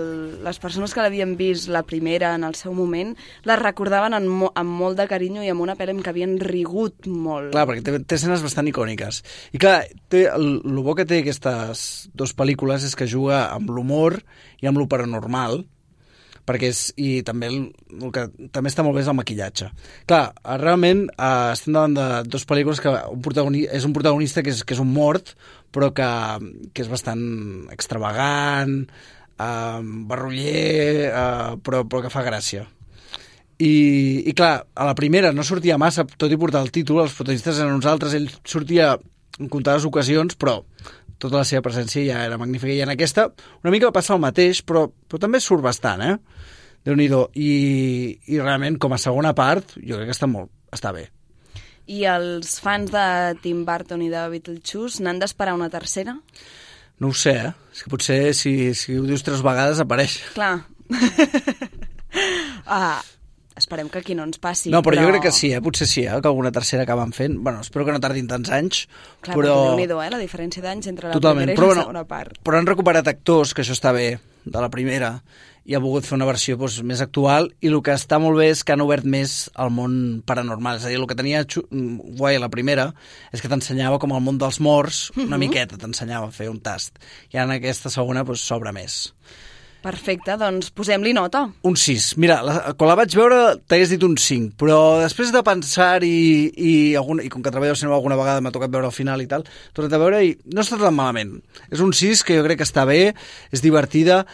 les persones que l'havien vist la primera en el seu moment la recordaven amb, mo, amb molt de carinyo i amb una pel·li amb què havien rigut molt. Clar, perquè té, té escenes bastant icòniques. I clar, té, el, el bo que té aquestes dues pel·lícules és que juga amb l'humor i amb lo paranormal, perquè és, i també el, el que també està molt bé és el maquillatge. Clar, realment eh, estem davant de dues pel·lícules que un protagonista, és un protagonista que és, que és un mort, però que, que és bastant extravagant, Uh, barroller, uh, però, però que fa gràcia. I, i clar, a la primera no sortia massa, tot i portar el títol, els protagonistes eren uns altres, ell sortia en comptades ocasions, però tota la seva presència ja era magnífica. I en aquesta una mica va passar el mateix, però, però també surt bastant, eh? Déu-n'hi-do. I, I realment, com a segona part, jo crec que està, molt, està bé. I els fans de Tim Burton i de Beetlejuice n'han d'esperar una tercera? No ho sé, eh? És que potser si, si ho dius tres vegades apareix. Clar. ah, esperem que aquí no ens passi. No, però, però... jo crec que sí, eh? Potser sí, eh? Que alguna tercera acaben fent. Bueno, espero que no tardin tants anys. Clar, però... Déu-n'hi-do, eh? La diferència d'anys entre la Totalment. primera i però, la bueno, segona part. Però han recuperat actors, que això està bé, de la primera, i ha volgut fer una versió doncs, més actual, i el que està molt bé és que han obert més al món paranormal. És a dir, el que tenia guai a la primera és que t'ensenyava com el món dels morts, una Uh-huh. miqueta t'ensenyava a fer un tast. I en aquesta segona doncs, s'obre més. Perfecte, doncs posem-li nota. Un sis. Mira, la, quan la vaig veure t'hagués dit un cinc, però després de pensar i, i, algun, i com que treballo al cinema alguna vegada m'ha tocat veure al final i tal, tornat a veure i no està tan malament. És un sis que jo crec que està bé, és divertida.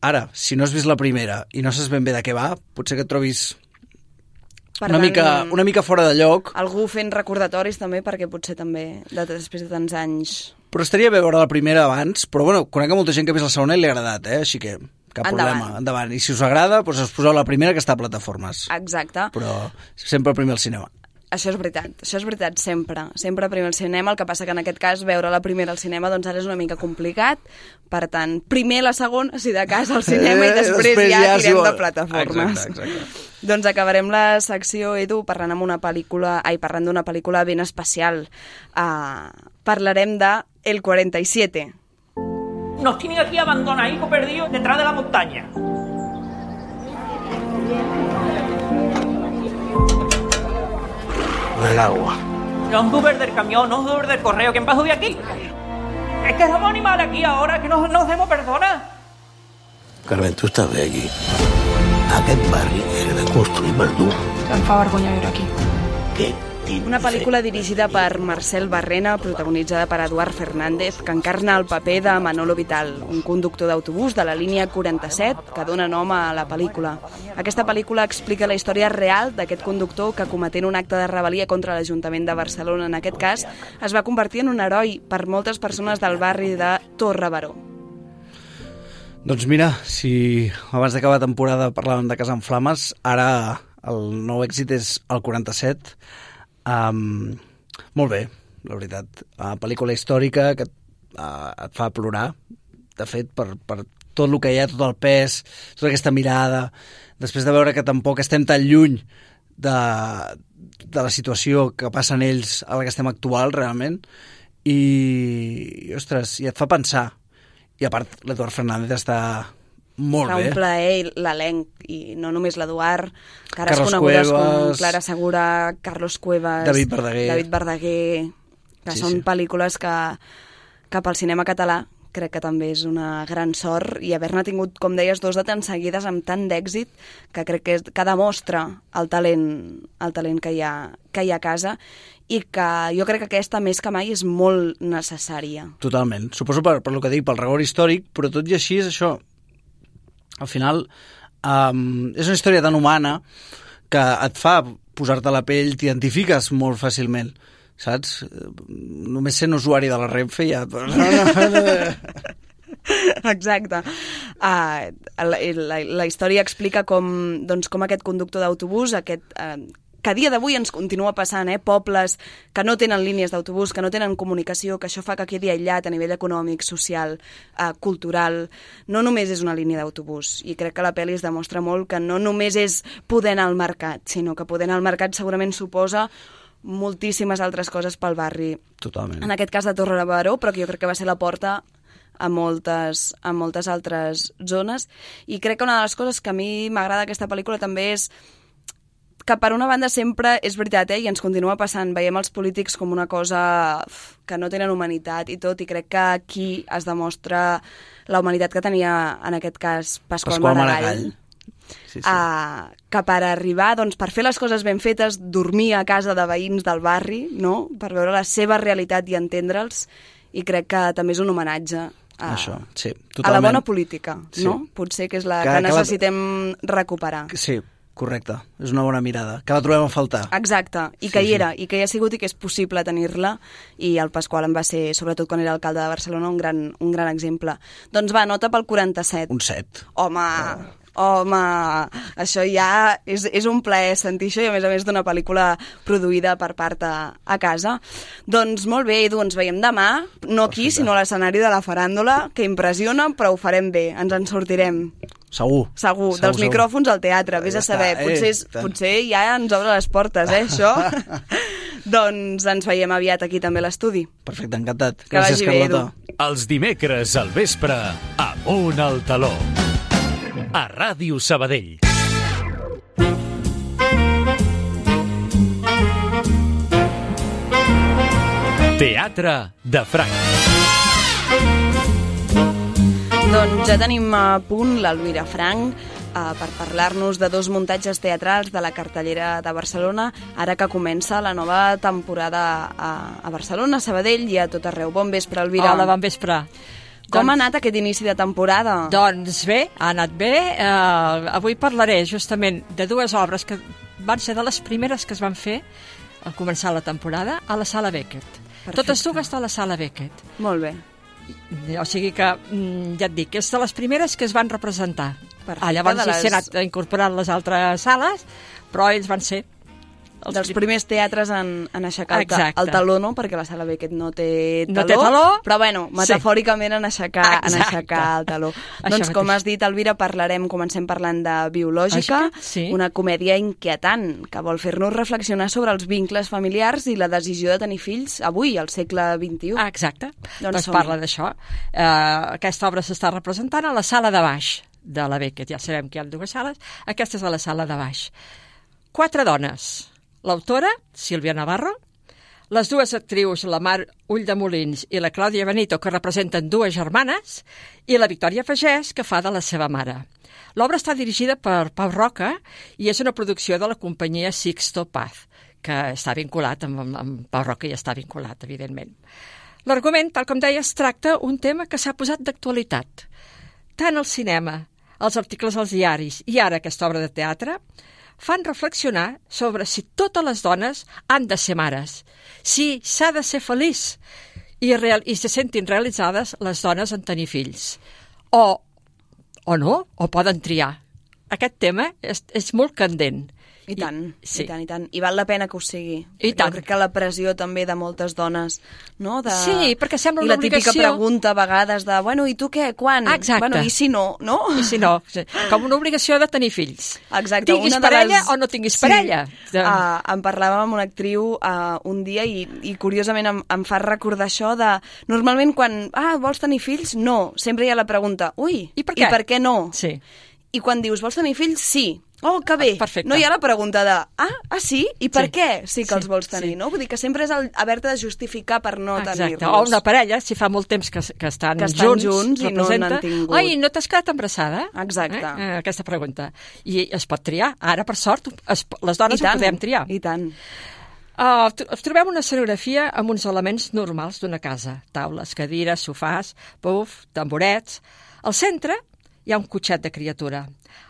Ara, si no has vist la primera i no saps ben bé de què va, potser que et trobis Per una, tant, mica, una mica fora de lloc. Algú fent recordatoris també, perquè potser també, de, després de tants anys... Però estaria bé veure la primera abans, però bueno, conec molta gent que ha vist la segona i li ha agradat, eh? Així que cap Endavant. problema, endavant. I si us agrada, doncs us poseu la primera que està a plataformes. Exacte. Però sempre primer al cinema. Això és veritat, això és veritat, sempre. Sempre primer al cinema, el que passa que en aquest cas veure la primera al cinema doncs ara és una mica complicat. Per tant, primer la segona, si de cas, al cinema, eh, i després, després ja, ja tirem de plataformes. Exacte, exacte. Doncs acabarem la secció, Edu, parlant amb una pel·lícula, ai, parlant d'una pel·lícula ben especial. Uh, parlarem de El cuarenta y siete. Nos tienen aquí abandonaditos perdidos detrás de la montaña. El agua. No es Uber del camión, no es Uber del correo. ¿Quién va a subir aquí? Es que somos animales aquí ahora, que no nos demos personas. Carmen, tu estàs bé aquí. Aquest barri era de construir per tu. Em fa vergonya viure aquí. Què? Una pel·lícula dirigida per Marcel Barrena, protagonitzada per Eduard Fernández, que encarna el paper de Manolo Vital, un conductor d'autobús de la línia quaranta-set que dona nom a la pel·lícula. Aquesta pel·lícula explica la història real d'aquest conductor que, cometent un acte de rebel·lia contra l'Ajuntament de Barcelona, en aquest cas, es va convertir en un heroi per moltes persones del barri de Torre Baró. Doncs mira, si abans d'acabar la temporada parlàvem de Casa en Flames, ara el nou èxit és el quaranta-set. Um, molt bé, la veritat. Uh, pel·lícula històrica que uh, et fa plorar, de fet, per, per tot el que hi ha, tot el pes, tota aquesta mirada, després de veure que tampoc estem tan lluny de, de la situació que passen ells a la que estem actual, realment, i, i ostres, i et fa pensar. I a part, l'Eduard Fernández està molt Fa bé. un plaer l'elenc, i no només l'Eduard, cares Carlos conegudes Cuevas, com Clara Segura, Carlos Cuevas, David Verdaguer, David Verdaguer que Sí, són sí. pel·lícules que, que pel cinema català crec que també és una gran sort, i haver-ne tingut, com deies, dos de tan seguides amb tant d'èxit, que crec que, és, que demostra el talent, el talent que, hi ha, que hi ha a casa, i que jo crec que aquesta, més que mai, és molt necessària. Totalment. Suposo per, per lo que dic, pel rigor històric, però tot i així és això. Al final, um, és una història tan humana que et fa posar-te a la pell, t'identifiques molt fàcilment, saps? Només sent usuari de la Renfe ja... Exacte. Uh, la, la, la història explica com, doncs, com aquest conductor d'autobús, aquest... Uh, que a dia d'avui ens continua passant, eh? Pobles que no tenen línies d'autobús, que no tenen comunicació, que això fa que quedi aïllat a nivell econòmic, social, eh, cultural. No només és una línia d'autobús, i crec que la pel·li es demostra molt que no només és poder anar al mercat, sinó que poder anar al mercat segurament suposa moltíssimes altres coses pel barri. Totalment. En aquest cas de Torre Baró, però que jo crec que va ser la porta a moltes, a moltes altres zones. I crec que una de les coses que a mi m'agrada d'aquesta pel·lícula també és que per una banda sempre és veritat, eh, i ens continua passant, veiem els polítics com una cosa que no tenen humanitat i tot, i crec que aquí es demostra la humanitat que tenia, en aquest cas, Pasqual, Pasqual Maragall. Maragall. Sí, sí. Uh, que per arribar, doncs, per fer les coses ben fetes, dormir a casa de veïns del barri, no? Per veure la seva realitat i entendre'ls, i crec que també és un homenatge a, Això, sí, a la bona política, Sí. no? Potser que és la Que- que, que la- necessitem recuperar. Sí, correcte. És una bona mirada. Que la trobem a faltar. Exacte, i que Sí, hi sí. era, i que hi ha sigut i que és possible tenir-la, i el Pasqual en va ser, sobretot quan era alcalde de Barcelona, un gran, un gran exemple. Doncs va, nota pel quaranta-set. Un set. Home, home, això ja és, és un plaer sentir això, i a més a més d'una pel·lícula produïda per part a, a casa. Doncs molt bé, Edu, ens veiem demà, no aquí, sinó a l'escenari de la faràndula, que impressiona, però ho farem bé, ens en sortirem. Segur. Segur, segur dels segur. micròfons al teatre, vés Ja a saber, està, eh, potser, és, tant. potser ja ens obre les portes, eh, això. Doncs ens veiem aviat aquí també a l'estudi. Perfecte, encantat. Que Gràcies, vagi bé, Carlota. Els dimecres al vespre, Amunt al taló. A Ràdio Sabadell. Teatre de Franc. Doncs ja tenim a punt l'Elvira Frank eh, per parlar-nos de dos muntatges teatrals de la cartellera de Barcelona, ara que comença la nova temporada a, a Barcelona, a Sabadell i a tot arreu. Bon vespre, Elvira. Hola, bon vespre. Com Doncs- ha anat aquest inici de temporada? Doncs bé, ha anat bé. Uh, avui parlaré justament de dues obres que van ser de les primeres que es van fer al començar la temporada a la Sala Beckett. Perfecte. Totes dues a la Sala Beckett. Molt bé. O sigui que, mm, ja et dic, és de les primeres que es van representar. Perfecte, Ah, llavors de les... les- s'hi ha anat incorporant les altres sales, però ells van ser... Els dels prim- primers teatres en, en aixecar el, ta Exacte. el taló, no? Perquè la Sala Beckett no té taló, No té taló. però bueno, metafòricament en aixecar, en Exacte. aixecar el taló. Això Doncs com mateix. has dit, Elvira, parlarem, comencem parlant de Biològica, Lògica, sí. una comèdia inquietant que vol fer-nos reflexionar sobre els vincles familiars i la decisió de tenir fills avui, al segle vint-i-u. Ah, exacte. Doncs Doncs, som-hi. parla d'això. Uh, aquesta obra s'està representant a la sala de baix de la Beckett. Ja sabem que hi ha dues sales. Aquesta és a la sala de baix. Quatre dones. L'autora, Sílvia Navarro, les dues actrius, la Mar Ulldemolins i la Clàudia Benito, que representen dues germanes, i la Victòria Pagès, que fa de la seva mare. L'obra està dirigida per Pau Roca i és una producció de la companyia Sixto Paz, que està vinculat amb, amb, amb Pau Roca, i està vinculat, evidentment. L'argument, tal com deia, es tracta un tema que s'ha posat d'actualitat. Tant el cinema, els articles als diaris i ara aquesta obra de teatre fan reflexionar sobre si totes les dones han de ser mares, si s'ha de ser feliç i, real, i se sentin realitzades les dones en tenir fills, o, o no, o poden triar. Aquest tema és, és molt candent. I tant, I, sí. i tant, i tant. I val la pena que ho sigui. I tant. Jo crec que la pressió també de moltes dones, no? De... Sí, perquè sembla I una la típica obligació. pregunta a vegades de, bueno, i tu què, quan? Exacte. Bueno, i si no, no? I si no, sí. Com una obligació de tenir fills. Exacte. Tinguis una de parella les... o no tinguis sí. parella. De... Uh, em parlava amb una actriu uh, un dia i, i curiosament em, em fa recordar això de... Normalment quan, ah, vols tenir fills? No. Sempre hi ha la pregunta, ui, I per què, I per què no? Sí. I quan dius, vols tenir fills? Sí. Oh, que bé. Perfecte. No hi ha la pregunta de, ah, ah sí? I per Sí. què sí que Sí, els vols tenir, sí. no? Vull dir que sempre és el haver-te de justificar per no Exacte. tenir-los. O una parella, si fa molt temps que, que estan, Que estan junts, junts i no representa, n'han tingut. Oi, no t'has quedat embarassada? Exacte. Eh? Eh, aquesta pregunta. I es pot triar. Ara, per sort, es, les dones I tant, ho podem triar. I tant. Uh, trobem una escenografia amb uns elements normals d'una casa. Taules, cadires, sofàs, puf, tamborets. Al centre hi ha un cotxet de criatura.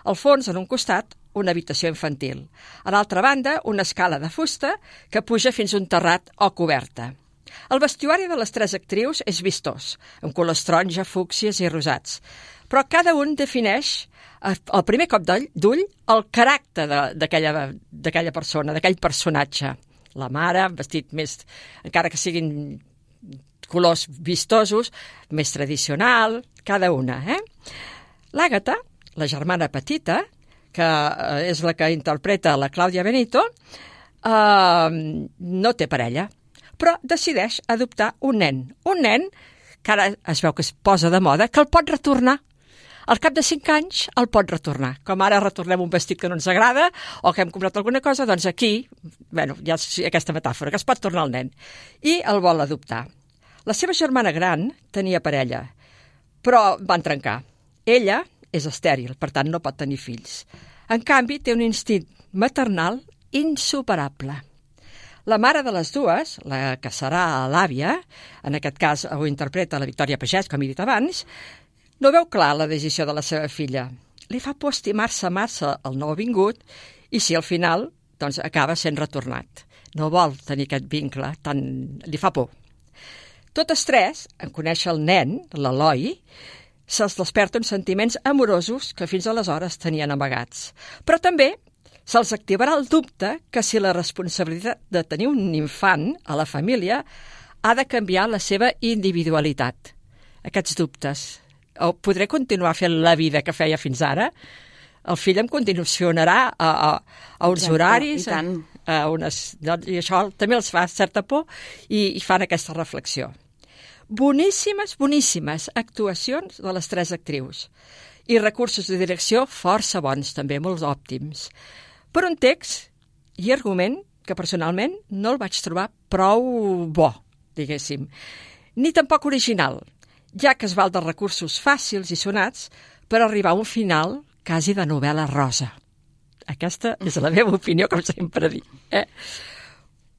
Al fons, en un costat, una habitació infantil. A l'altra banda, una escala de fusta que puja fins a un terrat o coberta. El vestuari de les tres actrius és vistós, amb colors taronja, fúcsies i rosats. Però cada un defineix, al primer cop d'ull, el caràcter d'aquella persona, d'aquell personatge. La mare, vestit més, encara que siguin colors vistosos, més tradicional, cada una. Eh? L'Àgata, la germana petita, que és la que interpreta la Clàudia Benito, eh, no té parella, però decideix adoptar un nen. Un nen que ara es veu que es posa de moda, que el pot retornar. Al cap de cinc anys el pot retornar. Com ara retornem un vestit que no ens agrada o que hem comprat alguna cosa, doncs aquí, bueno, hi ha aquesta metàfora, que es pot tornar el nen. I el vol adoptar. La seva germana gran tenia parella, però van trencar. Ella és estèril, per tant no pot tenir fills. En canvi, té un instint maternal insuperable. La mare de les dues, la que serà l'àvia, en aquest cas ho interpreta la Victòria Pagès, com he dit abans, no veu clar la decisió de la seva filla. Li fa por estimar-se massa el nouvingut i si al final doncs, acaba sent retornat. No vol tenir aquest vincle, tant li fa por. Totes tres, en conèixer el nen, l'Eloi, se'ls desperten sentiments amorosos que fins aleshores tenien amagats. Però també se'ls activarà el dubte que si la responsabilitat de tenir un infant a la família ha de canviar la seva individualitat. Aquests dubtes. O podré continuar fent la vida que feia fins ara? El fill em condicionarà a, a, a uns Exacte, horaris, i tant. a, a unes, i això també els fa certa por i, i fan aquesta reflexió. Boníssimes, boníssimes actuacions de les tres actrius i recursos de direcció força bons, també molt òptims. Per un text i argument que personalment no el vaig trobar prou bo, diguéssim, ni tampoc original, ja que es val dels recursos fàcils i sonats per arribar a un final quasi de novel·la rosa. Aquesta és la meva opinió, com sempre dic. Eh?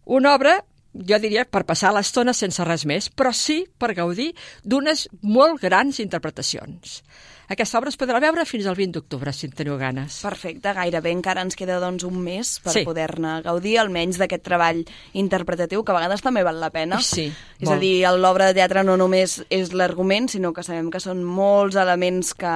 Una obra, jo diria, per passar l'estona sense res més, però sí per gaudir d'unes molt grans interpretacions. Aquesta obra es podrà veure fins al vint d'octubre, si en teniu ganes. Perfecte, gairebé encara ens queda doncs un mes per Sí. poder-ne gaudir, almenys d'aquest treball interpretatiu, que a vegades també val la pena. Sí, És molt. a dir, l'obra de teatre no només és l'argument, sinó que sabem que són molts elements que,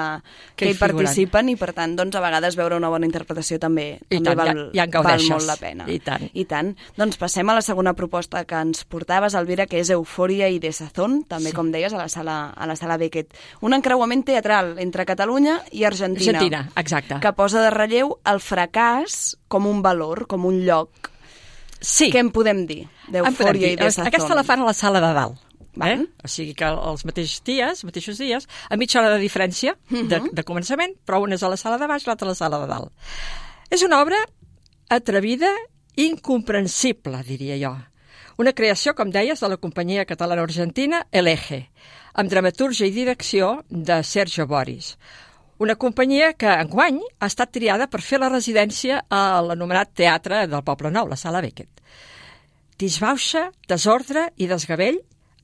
que, Que hi hi participen figuren. i, per tant, doncs, a vegades veure una bona interpretació també, I també tant, val, ja- ja en val gaudeixes. molt la pena. I tant. I tant. Doncs passem a la segona proposta que ens portaves, Elvira, que és Eufòria i Desazón, també, Sí. com deies, a la sala, a la sala Beckett. Un encreuament teatral entre Catalunya i Argentina. Argentina, exacte. Que posa de relleu el fracàs com un valor, com un lloc. Sí. Què en podem dir d'Eufòria i Desazón? Aquesta la fan a la sala de dalt. Eh? O sigui que els mateixos dies, mateixos dies, a mitja hora de diferència de, de començament, però una és a la sala de baix, l'altra a la sala de dalt. És una obra atrevida, incomprensible, diria jo. Una creació, com deies, de la companyia catalana-argentina El Eje, amb dramaturgia i direcció de Sergio Boris. Una companyia que enguany ha estat triada per fer la residència a l'anomenat Teatre del Poble Nou, la Sala Beckett. Disbauxa, desordre i desgavell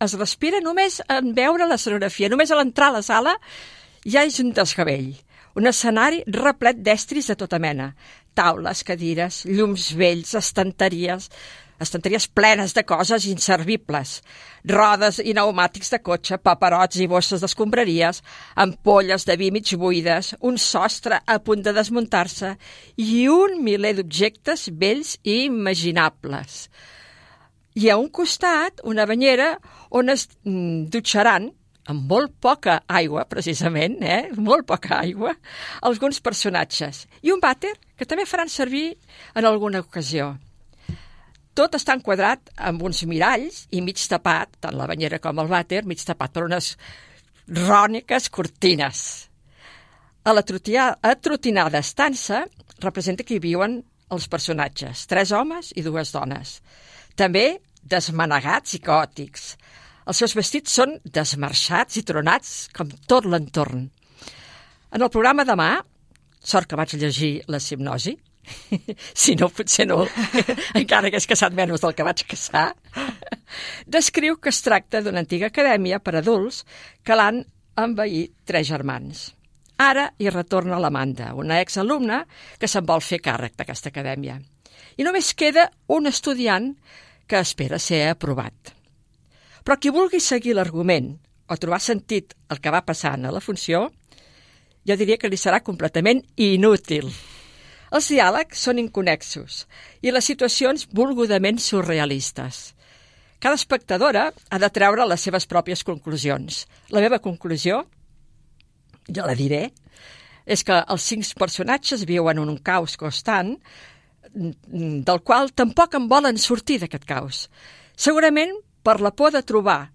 es respira només en veure l'escenografia. Només a l'entrar a la sala ja és un desgavell. Un escenari replet d'estris de tota mena. Taules, cadires, llums vells, estanteries, estanteries plenes de coses inservibles. Rodes i pneumàtics de cotxe, paperots i bosses d'escombraries, ampolles de vi mig buides, un sostre a punt de desmuntar-se i un miler d'objectes vells i imaginables. I a un costat, una banyera on es mm, dutxaran, amb molt poca aigua, precisament, eh? molt poca aigua, alguns personatges. I un vàter que també faran servir en alguna ocasió. Tot està enquadrat amb uns miralls i mig tapat, tant la banyera com el vàter, mig tapat per unes ròniques cortines. A la atrotinada estança representa que hi viuen els personatges, tres homes i dues dones. També desmanegats i caòtics. Els seus vestits són desmarxats i tronats, com tot l'entorn. En el programa demà, sort que vaig llegir la hipnosi, si no, potser no, encara que és caçat menys del que vaig caçar, descriu que es tracta d'una antiga acadèmia per adults que l'han envaït tres germans. Ara hi retorna l'Amanda, una exalumna que se'n vol fer càrrec d'aquesta acadèmia. I només queda un estudiant que espera ser aprovat. Però qui vulgui seguir l'argument o trobar sentit el que va passant a la funció, jo diria que li serà completament inútil. Els diàlegs són inconnexos i les situacions volgudament surrealistes. Cada espectadora ha de treure les seves pròpies conclusions. La meva conclusió, jo la diré, és que els cinc personatges viuen en un caos constant del qual tampoc en volen sortir d'aquest caos. Segurament per la por de trobar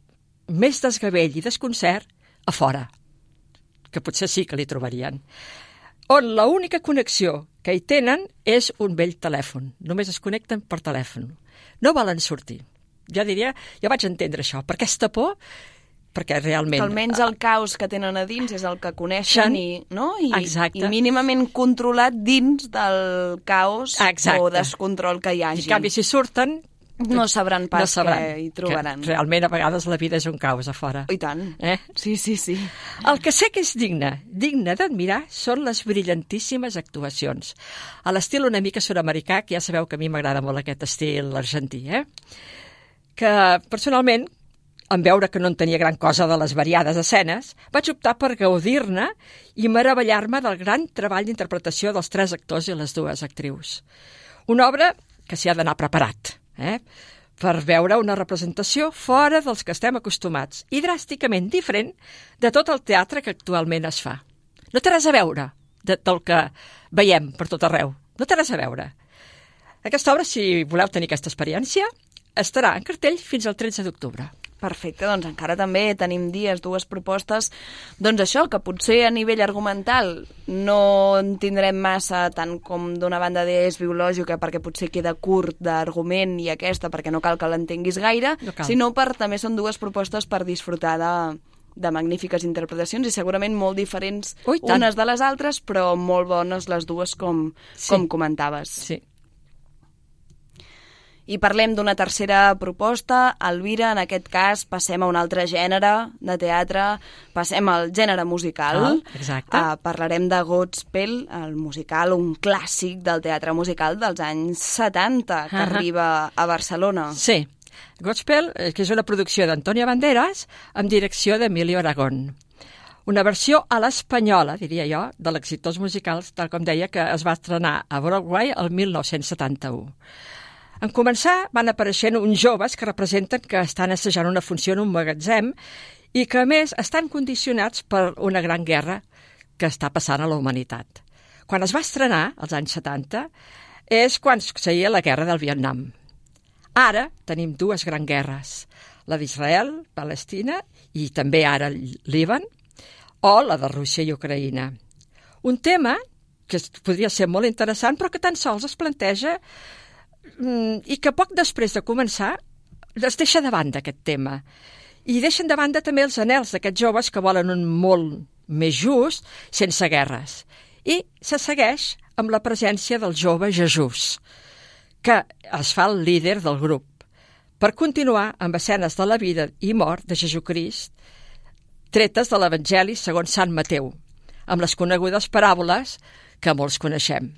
més desgavell i desconcert a fora, que potser sí que li trobarien, on l'única connexió que hi tenen és un vell telèfon. Només es connecten per telèfon. No volen sortir. Jo diria, jo vaig entendre això, per aquesta por, perquè realment... Que almenys el caos que tenen a dins és el que coneixen i, no? I, Exacte. I mínimament controlat dins del caos Exacte. o descontrol que hi hagi. En canvi, si surten... No sabran pas no sabran què hi trobaran. Que realment, a vegades, la vida és un caos a fora. I tant. Eh? Sí, sí, sí. El que sé que és digne, digne d'admirar, són les brillantíssimes actuacions. A l'estil una mica sud-americà, que ja sabeu que a mi m'agrada molt aquest estil argentí, eh? Que, personalment, en veure que no en tenia gran cosa de les variades escenes, vaig optar per gaudir-ne i meravellar-me del gran treball d'interpretació dels tres actors i les dues actrius. Una obra que s'hi ha d'anar preparat, eh? per veure una representació fora dels que estem acostumats i dràsticament diferent de tot el teatre que actualment es fa. No té res a veure de, del que veiem per tot arreu. No té res a veure. Aquesta obra, si voleu tenir aquesta experiència, estarà en cartell fins al tretze d'octubre. Perfecte, doncs encara també tenim dies, dues propostes, doncs això, que potser a nivell argumental no en tindrem massa, tant com d'una banda d'Es biològica, perquè potser queda curt d'argument, i aquesta perquè no cal que l'entenguis gaire, no sinó per també són dues propostes per disfrutar de, de magnífiques interpretacions i segurament molt diferents Ui, unes de les altres, però molt bones les dues, com, sí. com comentaves. Sí. I parlem d'una tercera proposta. Elvira, en aquest cas, passem a un altre gènere de teatre, passem al gènere musical. Ah, exacte. Uh, parlarem de Godspell, el musical, un clàssic del teatre musical dels anys setanta, que uh -huh. arriba a Barcelona. Sí, Godspell, que és una producció d'Antonio Banderas, amb direcció d'Emilio Aragón. Una versió a l'espanyola, diria jo, de l'exitós musical, tal com deia, que es va estrenar a Broadway el mil nou-cents setanta-u. En començar, van apareixent uns joves que representen que estan assajant una funció en un magatzem i que, a més, estan condicionats per una gran guerra que està passant a la humanitat. Quan es va estrenar, als anys setanta, és quan succeïa la guerra del Vietnam. Ara tenim dues grans guerres, la d'Israel, Palestina, i també ara el Líban, o la de Rússia i Ucraïna. Un tema que podria ser molt interessant, però que tan sols es planteja i que poc després de començar es deixa de banda aquest tema. I deixen de banda també els anhels d'aquests joves que volen un món més just, sense guerres. I se segueix amb la presència del jove Jesús, que es fa el líder del grup, per continuar amb escenes de la vida i mort de Jesucrist, tretes de l'Evangeli segons Sant Mateu, amb les conegudes paràboles que molts coneixem.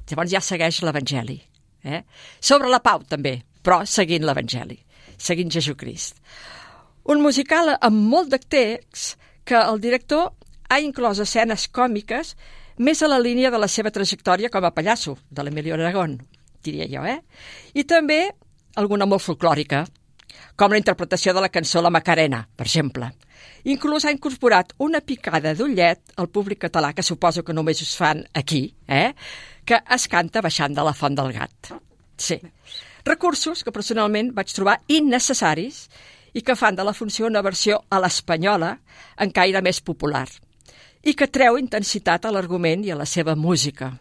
Llavors ja segueix l'Evangeli. Eh? Sobre la pau, també, però seguint l'Evangeli, seguint Jesucrist. Un musical amb molt de text que el director ha inclòs escenes còmiques més a la línia de la seva trajectòria com a pallasso, de l'Emilio Aragón, diria jo, eh? I també alguna molt folclòrica, com la interpretació de la cançó La Macarena, per exemple. Inclús ha incorporat una picada d'ullet al públic català, que suposo que només us fan aquí, eh? Que es canta baixant de la Font del Gat. Sí. Recursos que personalment vaig trobar innecessaris i que fan de la funció una versió a l'espanyola en caire més popular i que treu intensitat a l'argument i a la seva música.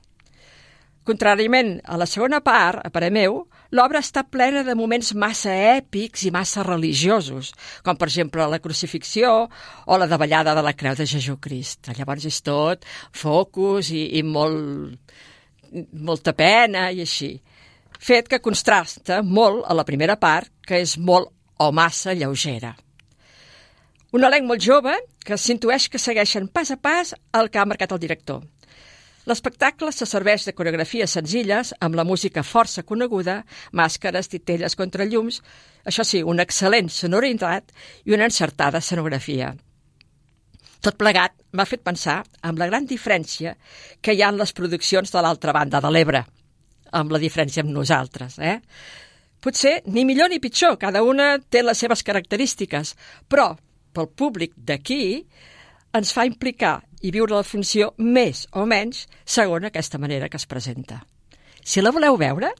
Contràriament a la segona part, a parer meu, l'obra està plena de moments massa èpics i massa religiosos, com per exemple la crucifixió o la davallada de la creu de Jesucrist. Llavors és tot focus i, i molt, molta pena i així. Fet que contrasta molt a la primera part, que és molt o massa lleugera. Un elenc molt jove que s'intueix que segueixen pas a pas el que ha marcat el director. L'espectacle se serveix de coreografies senzilles, amb la música força coneguda, màscares, titelles contra llums, això sí, una excel·lent sonoritat i una encertada escenografia. Tot plegat m'ha fet pensar en la gran diferència que hi ha en les produccions de l'altra banda de l'Ebre, amb la diferència amb nosaltres, eh? Potser ni millor ni pitjor, cada una té les seves característiques, però pel públic d'aquí ens fa implicar i viure la funció més o menys segons aquesta manera que es presenta. Si la voleu veure,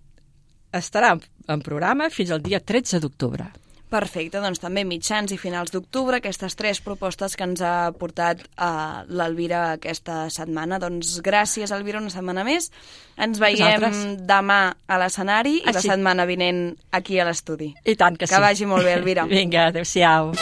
estarà en programa fins al dia tretze d'octubre. Perfecte, doncs també mitjans i finals d'octubre, aquestes tres propostes que ens ha portat uh, l'Elvira aquesta setmana. Doncs gràcies, Elvira, una setmana més. Ens veiem Nosaltres. demà a l'escenari ah, i la sí. setmana vinent aquí a l'estudi. I tant que, que sí. Que vagi molt bé, Elvira. Vinga, adéu-siau.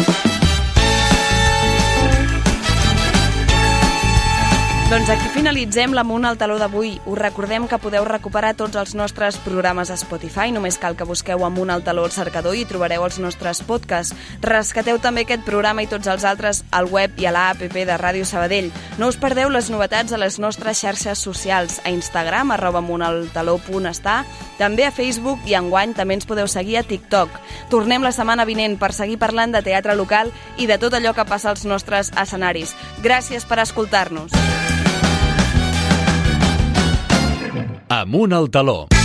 Doncs aquí finalitzem l'Amunt al Taló d'avui. Us recordem que podeu recuperar tots els nostres programes a Spotify. Només cal que busqueu Amunt al Taló al cercador i trobareu els nostres podcasts. Rescateu també aquest programa i tots els altres al web i a l'app de Ràdio Sabadell. No us perdeu les novetats a les nostres xarxes socials, a Instagram, arroba amuntaltaló punt està, també a Facebook i enguany també ens podeu seguir a TikTok. Tornem la setmana vinent per seguir parlant de teatre local i de tot allò que passa als nostres escenaris. Gràcies per escoltar-nos. Amunt al Taló.